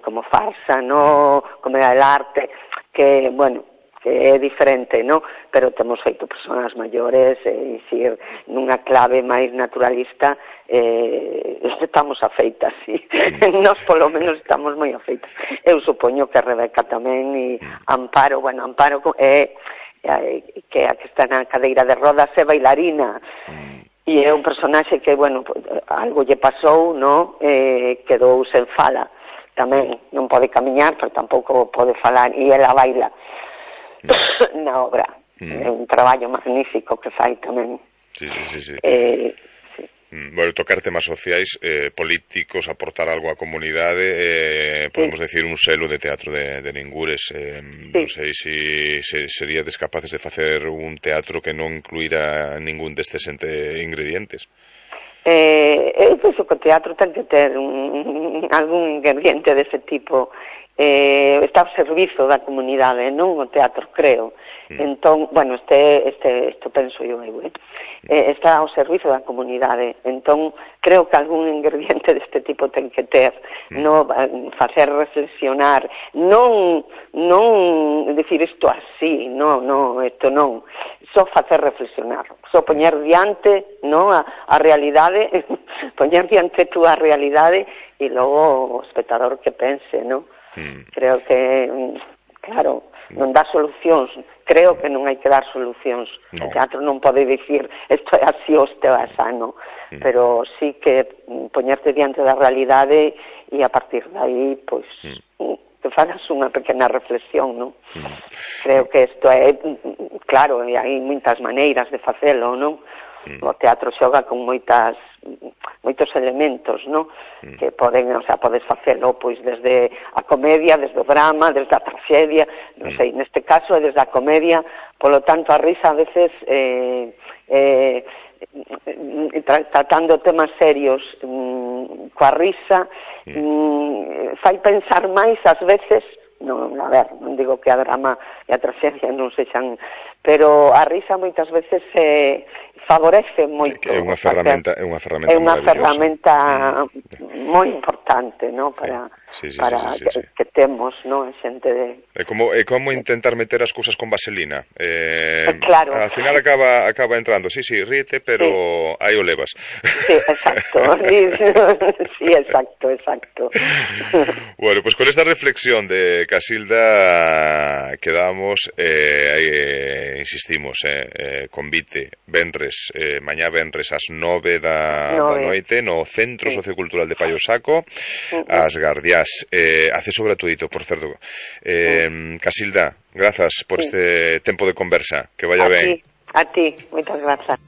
como farsa, no, como el arte, que, bueno, que é diferente, no? Pero temos feito persoas maiores e dicir, nunha clave máis naturalista, estamos afeitas, sí. Nós polo menos estamos moi afeitas. Eu supoño que Rebeca tamén e Amparo, bueno, Amparo é que a que está na cadeira de rodas é bailarina e é un personaxe que, bueno, algo lle pasou, no? Quedou sen fala tamén, non pode camiñar, pero tampouco pode falar, e ela baila na obra. É un traballo magnífico que fai tamén. Sí. Bueno, tocar temas sociais, políticos, aportar algo á comunidade, podemos decir un selo de Teatro de Ningures. Non sei se seríades capaces de facer un teatro que non incluíra ningún destes ingredientes. Eu penso que o teatro ten que ter algún ingrediente dese tipo. Está ao servizo da comunidade, non o teatro, creo. Entón, bueno, isto penso eu, está ao servizo da comunidade. Entón, creo que algún ingrediente deste tipo ten que ter, no facer reflexionar, non decir isto así, isto non, só facer reflexionar, só poñer diante, no, a realidade, poñer diante tú a realidade e logo o espectador que pense, no? Creo que, claro, non dá solucións, creo que non hai que dar solucións. O teatro non pode dicir isto é así ou isto é asano, pero sí que poñerte diante da realidade e a partir de aí, pois, te fagas unha pequena reflexión, non? Creo que isto é, claro, hai moitas maneiras de facelo, non? O teatro xoga con moitos elementos, no? Que poden, o sea, podes facelo pois desde a comedia, desde o drama, desde a tragedia, non sei, neste caso é desde a comedia, polo tanto a risa a veces tratando temas serios coa risa fai pensar máis ás veces. Non, a ver, non digo que a drama e a tragedia non sexan, pero a risa moitas veces favorece moito. É unha ferramenta moi importante, no, para que temos, no, xente de... É como intentar meter as cousas con vaselina. Claro. Al final acaba entrando, sí, ríete, pero aí o levas. Sí, exacto. Sí, exacto. Bueno, pues con esta reflexión de Casilda quedamos, insistimos, convite venres, mañá venres ás 9 da noite no Centro Sociocultural de Paio Saco, as Gardiás, acceso gratuito, por certo. Casilda, grazas por este tempo de conversa, que vaya ben. A ti, moitas grazas.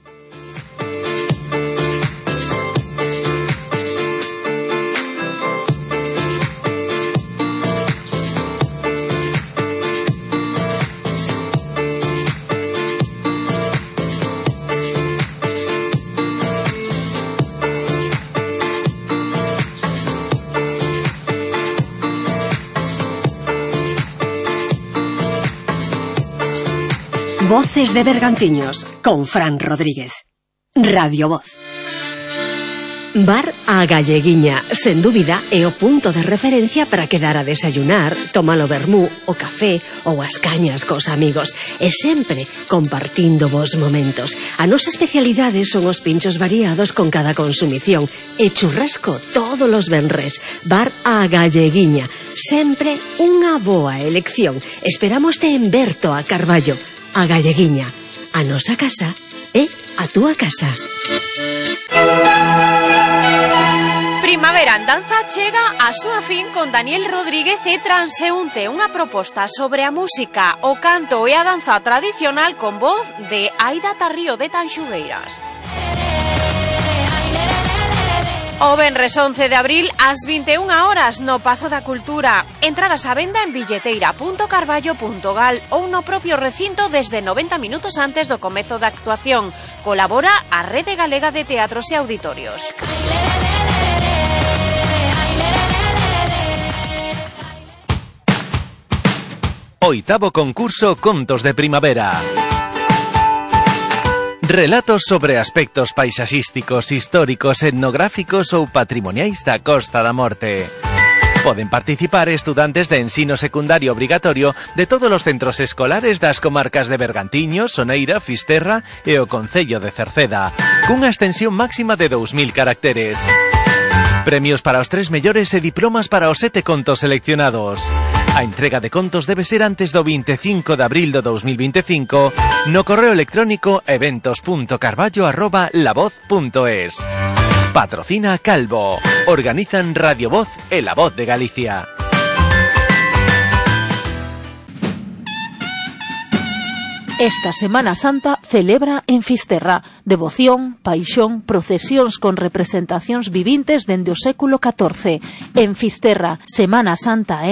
Voces de Bergantiños con Fran Rodríguez. Radio Voz. Bar A Galleguiña, sen dúbida, é o punto de referencia para quedar a desayunar, tomar o vermú, o café ou as cañas cos amigos, e sempre compartindo vos momentos. A nosa especialidade son os pinchos variados con cada consumición e churrasco todos os venres. Bar A Galleguiña, sempre unha boa elección. Esperámoste en Berto a Carballo. A Galleguiña, a nosa casa é a túa casa. Primavera andanza chega a súa fin con Daniel Rodríguez e Transeúnte, unha proposta sobre a música, o canto e a danza tradicional con voz de Aida Tarrío de Tanxugueiras. O venres 11 de abril ás 21 horas no Pazo da Cultura. Entradas á venda en billeteira.carballo.gal ou no propio recinto desde 90 minutos antes do comezo da actuación. Colabora a Rede Galega de Teatros e Auditorios. Oitavo concurso Contos de Primavera. Relatos sobre aspectos paisaxísticos, históricos, etnográficos ou patrimoniais da Costa da Morte. Poden participar estudantes de ensino secundario obrigatorio de todos os centros escolares das comarcas de Bergantiños, Soneira, Fisterra e o concello de Cerceda, cunha extensión máxima de 2000 caracteres. Premios para os 3 mellores e diplomas para os 7 contos seleccionados. A entrega de contos debe ser antes do 25 de abril do 2025 no correo electrónico eventos.carballo@lavoz.es. Patrocina Calvo. Organizan Radio Voz e La Voz de Galicia. Esta Semana Santa celebra en Fisterra devoción, paixón, procesións con representacións vivintes dende o século XIV. En Fisterra, Semana Santa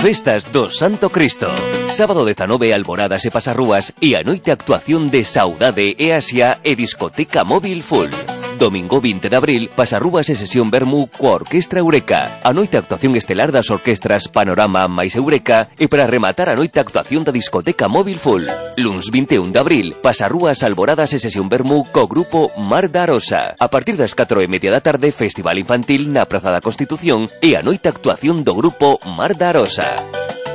Festas do Santo Cristo. Sábado 19, alboradas e pasarrúas e a noite actuación de Saudade e Asia e discoteca móvil full. Domingo 20 de abril, pasarrúas e sesión vermú coa Orquestra Eureka. A noite actuación estelar das orquestras Panorama máis Eureka e para rematar a noite actuación da discoteca móvil full. Luns 21 de abril, pasarrúas, alboradas e sesión vermú co grupo Mar da Arosa. A partir das 4:30 da tarde, festival infantil na Praza da Constitución e a noite actuación do grupo Mar da Arosa.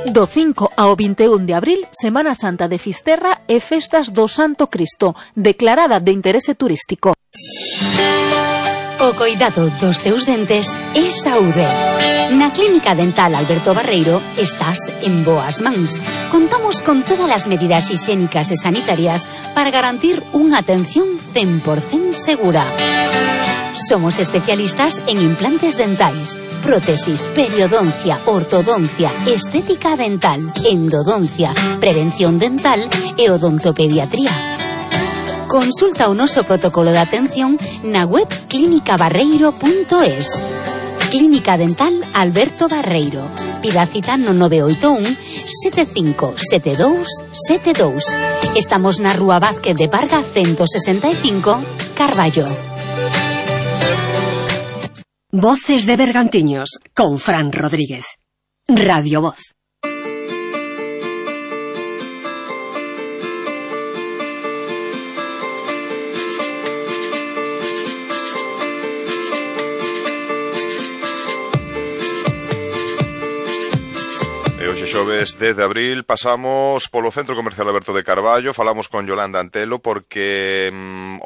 Do 5 ao 21 de abril, Semana Santa de Fisterra e Festas do Santo Cristo, declarada de interese turístico. O coidado dos teus dentes é saúde. Na Clínica Dental Alberto Barreiro estás en boas mans. Contamos con todas as medidas higiénicas e sanitarias para garantir unha atención 100% segura. Somos especialistas en implantes dentais, prótesis, periodoncia, ortodoncia, estética dental, endodoncia, prevención dental e odontopediatría. Consulta o noso protocolo de atención na web clinicabarreiro.es. Clínica Dental Alberto Barreiro. Pida cita no 981 7572 72. Estamos na Rúa Vázquez de Parga 165, Carballo. Voces de Bergantiños con Fran Rodríguez. Radio Voz. Hoxe xoves 10 de abril pasamos polo Centro Comercial Alberto de Carballo. Falamos con Yolanda Antelo porque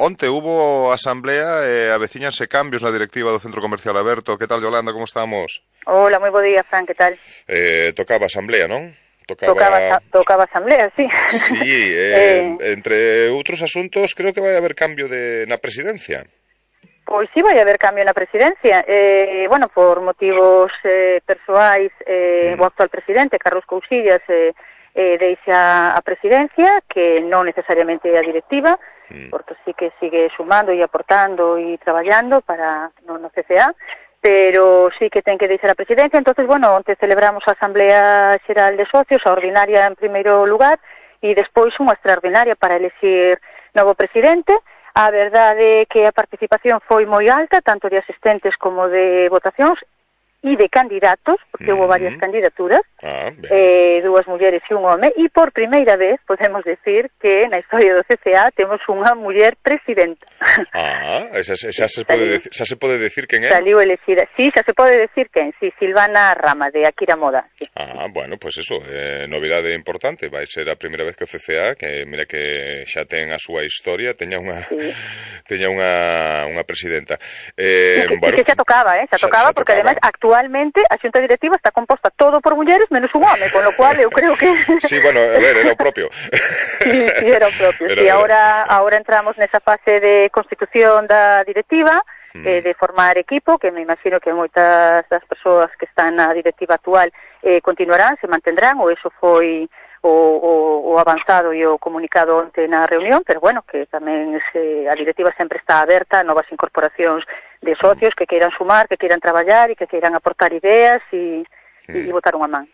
onte hubo asamblea e avecíñanse cambios na directiva do Centro Comercial Alberto. Que tal, Yolanda, como estamos? Hola, moi bo día, Fran, que tal? Tocaba asamblea, non? Tocaba asamblea, sí. Sí, entre outros asuntos creo que vai haber cambio na presidencia. Pois sí, vai haber cambio na presidencia. Bueno, por motivos persoais, o actual presidente, Carlos Cousillas, deixa a presidencia, que non necesariamente é a directiva, porque sí que sigue sumando e aportando e traballando para no CCA, pero sí que ten que deixar a presidencia. Entonces, bueno, onte celebramos a Asamblea Xeral de Socios, a ordinaria en primeiro lugar, e despois unha extraordinaria para elexir novo presidente. A verdade é que a participación foi moi alta, tanto de asistentes como de votacións e de candidatos, porque houve varias candidaturas, dúas mulleres e un home, e por primeira vez podemos decir que na historia do CCA temos unha muller presidenta. Xa se pode decir quen é? Saliu elexida, sí, xa se pode decir quen, sí, Silvana Rama, de Akira Moda. Sí. Bueno, pues eso, novidade importante, vai ser a primeira vez que o CCA, que mira que xa ten a súa historia, teña unha presidenta. Bueno, que xa tocaba, porque ademais actualmente a xunta directiva está composta todo por mulleres menos un home, con lo cual eu creo que... Sí, bueno, a ver, era o propio. Sí, era o propio. Sí, ahora entramos nesa fase de constitución da directiva, de formar equipo, que me imagino que moitas das persoas que están na directiva actual continuarán, se mantendrán, ou eso foi o avanzado e o comunicado onte na reunión, pero bueno, que tamén a directiva sempre está aberta a novas incorporacións de socios que queiran sumar, que queiran traballar e que queiran aportar ideas e botar unha man.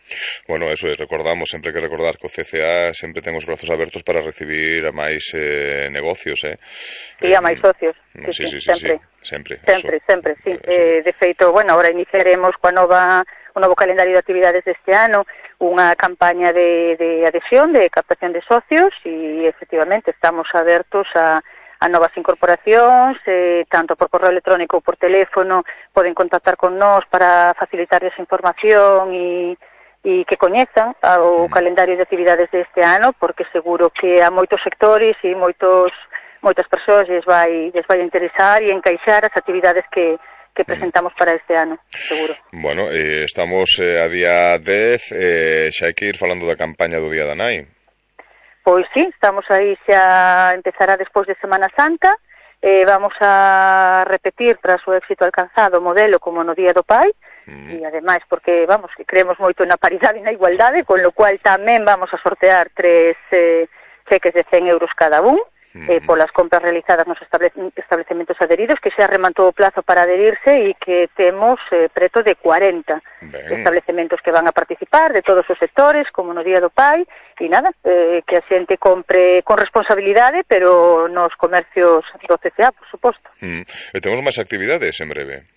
Bueno, eso é, recordamos, sempre que recordar que o CCA sempre ten os brazos abertos para recibir a máis negocios, Sí, a máis socios. Sí, sempre. Sí. De feito, bueno, ahora iniciaremos o novo calendario de actividades deste ano, unha campaña de adhesión, de captación de socios, e efectivamente estamos abertos a novas incorporacións, tanto por correo electrónico ou por teléfono, poden contactar con nós para facilitarles información e que coñezan o calendario de actividades deste ano, porque seguro que a moitos sectores e moitas persoas lles vai interesar e encaixar as actividades que presentamos para este ano, seguro. Bueno, estamos a día 10, xa hai que ir falando da campaña do Día da Nai. Pois sí, estamos aí, xa empezará despois de Semana Santa, vamos a repetir tras o éxito alcanzado o modelo como no Día do Pai, e ademais porque, vamos, que creemos moito na paridade e na igualdade, con lo cual tamén vamos a sortear 3 cheques de 100 euros cada un, polas compras realizadas nos establecementos adheridos, que xa rematou o plazo para adherirse e que temos preto de 40 establecementos que van a participar de todos os sectores, como no Día do Pai, e nada, que a xente compre con responsabilidade, pero nos comercios do CCA, por suposto. E temos máis actividades en breve.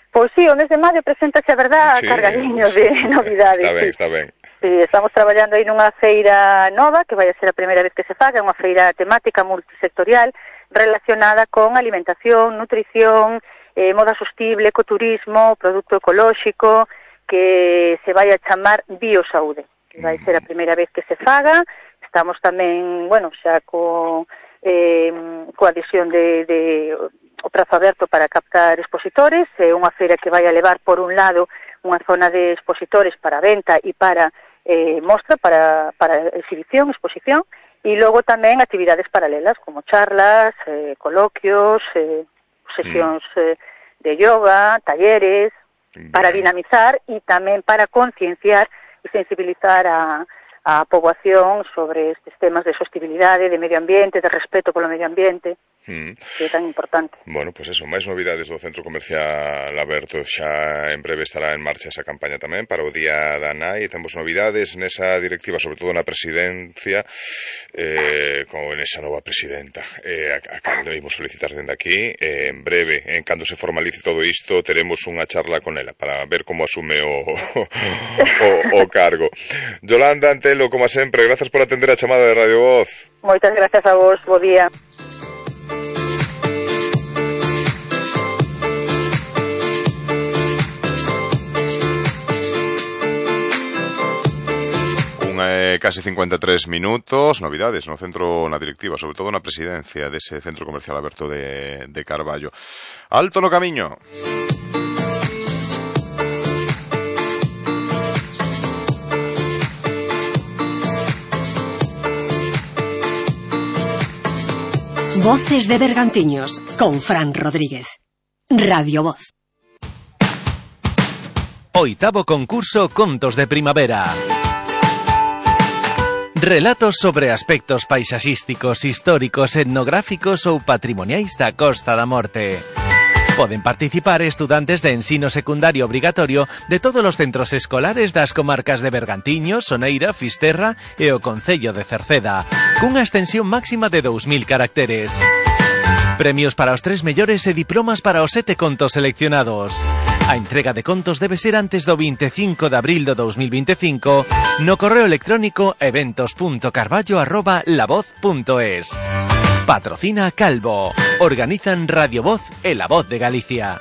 Pois sí, o mes de maio presentase, a verdad, cargadiño de novidades. Está ben. Sí, estamos traballando aí nunha feira nova, que vai a ser a primeira vez que se faga, unha feira temática multisectorial relacionada con alimentación, nutrición, moda sostible, ecoturismo, produto ecolóxico, que se vai a chamar Biosaude. Vai ser a primeira vez que se faga. Estamos tamén, bueno, xa coa adhesión de o prazo aberto para captar expositores, unha feira que vai a levar, por un lado, unha zona de expositores para venta e para mostra, para exhibición, exposición, e logo tamén actividades paralelas, como charlas, coloquios, sesións de yoga, talleres, para dinamizar e tamén para concienciar e sensibilizar a poboación sobre estes temas de sostibilidade, de medio ambiente, de respeto polo medio ambiente, que é tan importante. Bueno, pues eso, máis novidades do Centro Comercial Aberto. Xa en breve estará en marcha esa campaña tamén para o Día da Nai. Temos novidades nesa directiva, sobre todo na presidencia, con esa nova presidenta, a cando imos felicitar dende aquí. En breve, en cando se formalice todo isto, teremos unha charla con ela para ver como asume o cargo. Yolanda Antelo, como sempre, grazas por atender a chamada de Radio Voz. Moitas grazas a vos, bo día. Casi 53 minutos, novidades no centro, na directiva, sobre todo na presidencia dese Centro Comercial Aberto de Carballo. Alto no camiño. Voces de Bergantiños, con Fran Rodríguez. Radio Voz. Oitavo concurso Contos de Primavera. Relatos sobre aspectos paisaxísticos, históricos, etnográficos ou patrimoniais da Costa da Morte. Poden participar estudantes de ensino secundario obrigatorio de todos os centros escolares das comarcas de Bergantiños, Soneira, Fisterra e o concello de Cerceda, cunha extensión máxima de 2000 caracteres. Premios para os 3 mellores e diplomas para os 7 contos seleccionados. A entrega de contos debe ser antes do 25 de abril do 2025 no correo electrónico eventos.carballo@lavoz.es. Patrocina Calvo. Organizan Radio Voz e La Voz de Galicia.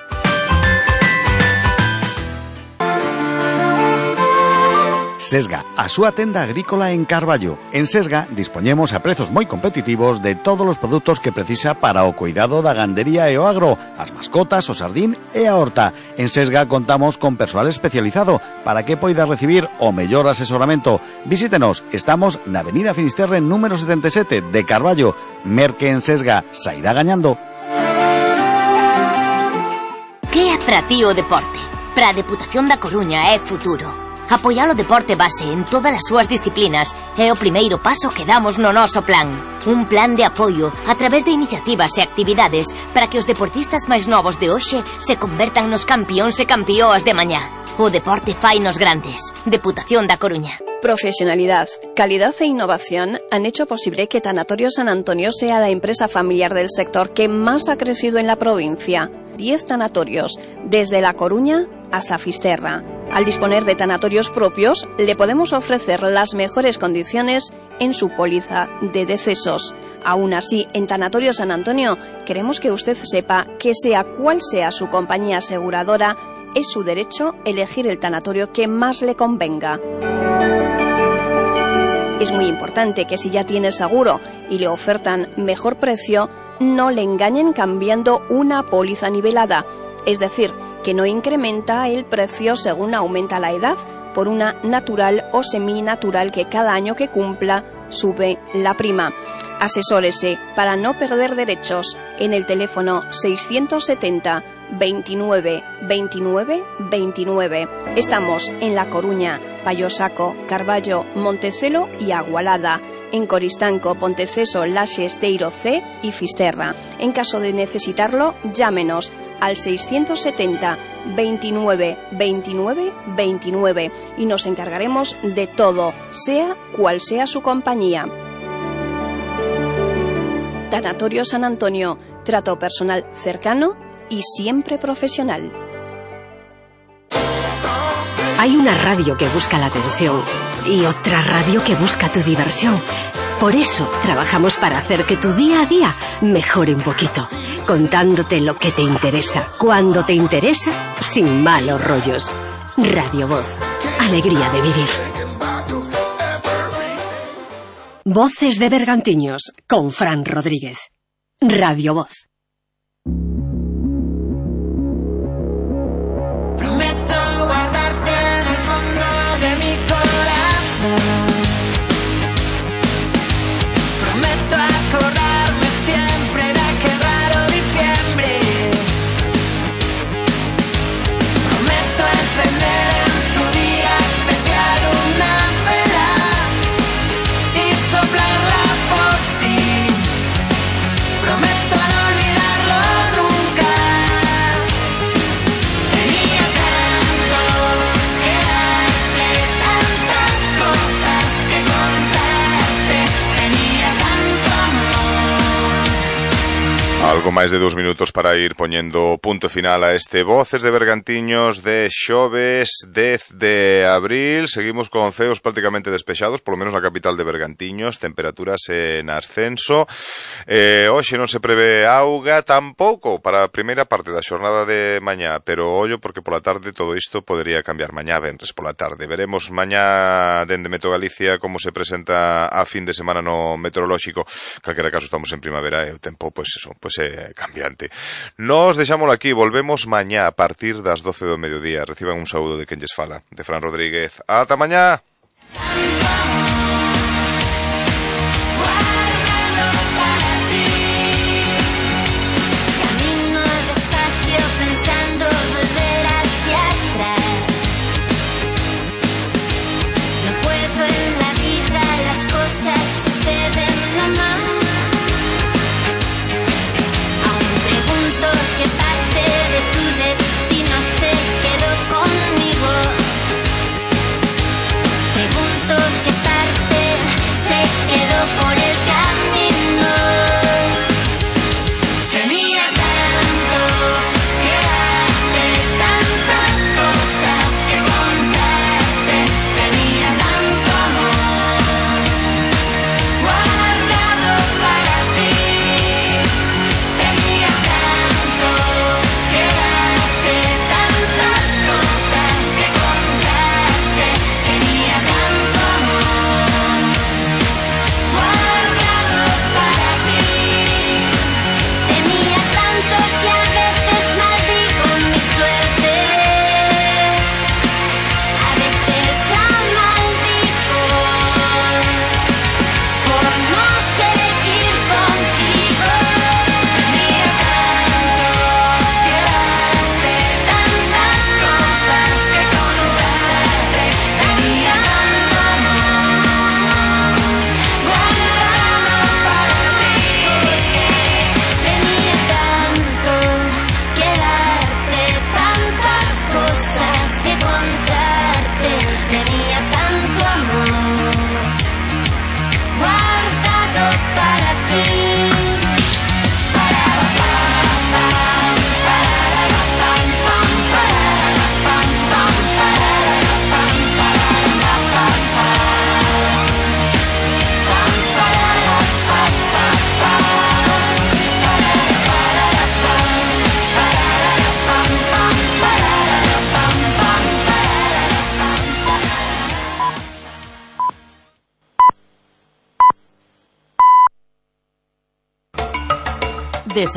Sesga, a súa tenda agrícola en Carballo. En Sesga dispoñemos a prezos moi competitivos de todos os produtos que precisa para o cuidado da gandería e o agro, as mascotas, o sardín e a horta. En Sesga contamos con persoal especializado para que poida recibir o mellor asesoramento. Visítenos, estamos na Avenida Finisterre número 77 de Carballo. Merque en Sesga, sairá gañando. Que é para ti o deporte? Para a Deputación da Coruña é futuro. Apoiar o deporte base en todas as súas disciplinas é o primeiro paso que damos no noso plan. Un plan de apoio a través de iniciativas e actividades para que os deportistas máis novos de hoxe se convertan nos campións e campióas de mañá. O deporte fai nos grandes. Deputación da Coruña. Profesionalidad, calidad e innovación han hecho posible que Tanatorio San Antonio sea la empresa familiar del sector que más ha crecido en la provincia. 10 tanatorios, desde La Coruña hasta Fisterra. Al disponer de tanatorios propios, le podemos ofrecer las mejores condiciones en su póliza de decesos. Aún así, en Tanatorio San Antonio, queremos que usted sepa que sea cual sea su compañía aseguradora, es su derecho elegir el tanatorio que más le convenga. Es muy importante que si ya tiene seguro y le ofertan mejor precio, no le engañen cambiando una póliza nivelada, es decir, que no incrementa el precio según aumenta la edad por una natural o seminatural que cada año que cumpla sube la prima. Asesórese para no perder derechos en el teléfono 670 29 29 29. Estamos en La Coruña, Payosaco, Carballo, Montecelo y Agualada. En Coristanco, Ponteceso, Laxe, Esteiro C y Fisterra. En caso de necesitarlo, llámenos al 670 29 29 29 y nos encargaremos de todo, sea cual sea su compañía. Tanatorio San Antonio, trato personal cercano y siempre profesional. Hay una radio que busca la atención y otra radio que busca tu diversión. Por eso trabajamos para hacer que tu día a día mejore un poquito, contándote lo que te interesa, cuando te interesa, sin malos rollos. Radio Voz, alegría de vivir. Voces de Bergantiños, con Fran Rodríguez. Radio Voz. Prometo guardarte en el fondo de mi corazón. Prometo acordarme siempre de aquel raro diciembre. Prometo encender en tu día especial una vela y soplarla por ti. Prometo no olvidarlo nunca. Tenía tanto que darte, tantas cosas que contarte. Tenía tanto amor. Algo máis de 2 minutos para ir poñendo punto final a este Voces de Bergantiños de xoves 10 de abril. Seguimos con ceos prácticamente despexados, polo menos na capital de Bergantiños, temperaturas en ascenso. Hoxe non se prevé auga tampouco para a primeira parte da xornada de mañá, pero ollo porque pola tarde todo isto podería cambiar mañá venres pola tarde. Veremos mañá dende Meto Galicia como se presenta a fin de semana no meteorolóxico. Calquera caso estamos en primavera e o tempo, pois eso, pois é cambiante. Nos deixámoslo aquí, volvemos mañá a partir das 12 do mediodía. Reciban un saúdo de quen lles fala, de Fran Rodríguez. Ata mañá. Camino despacio pensando volver hacia atrás. No puedo en la vida, las cosas suceden nomás. Aún pregunto qué parte de tu destino se quedó conmigo. Pregunto qué parte de Santa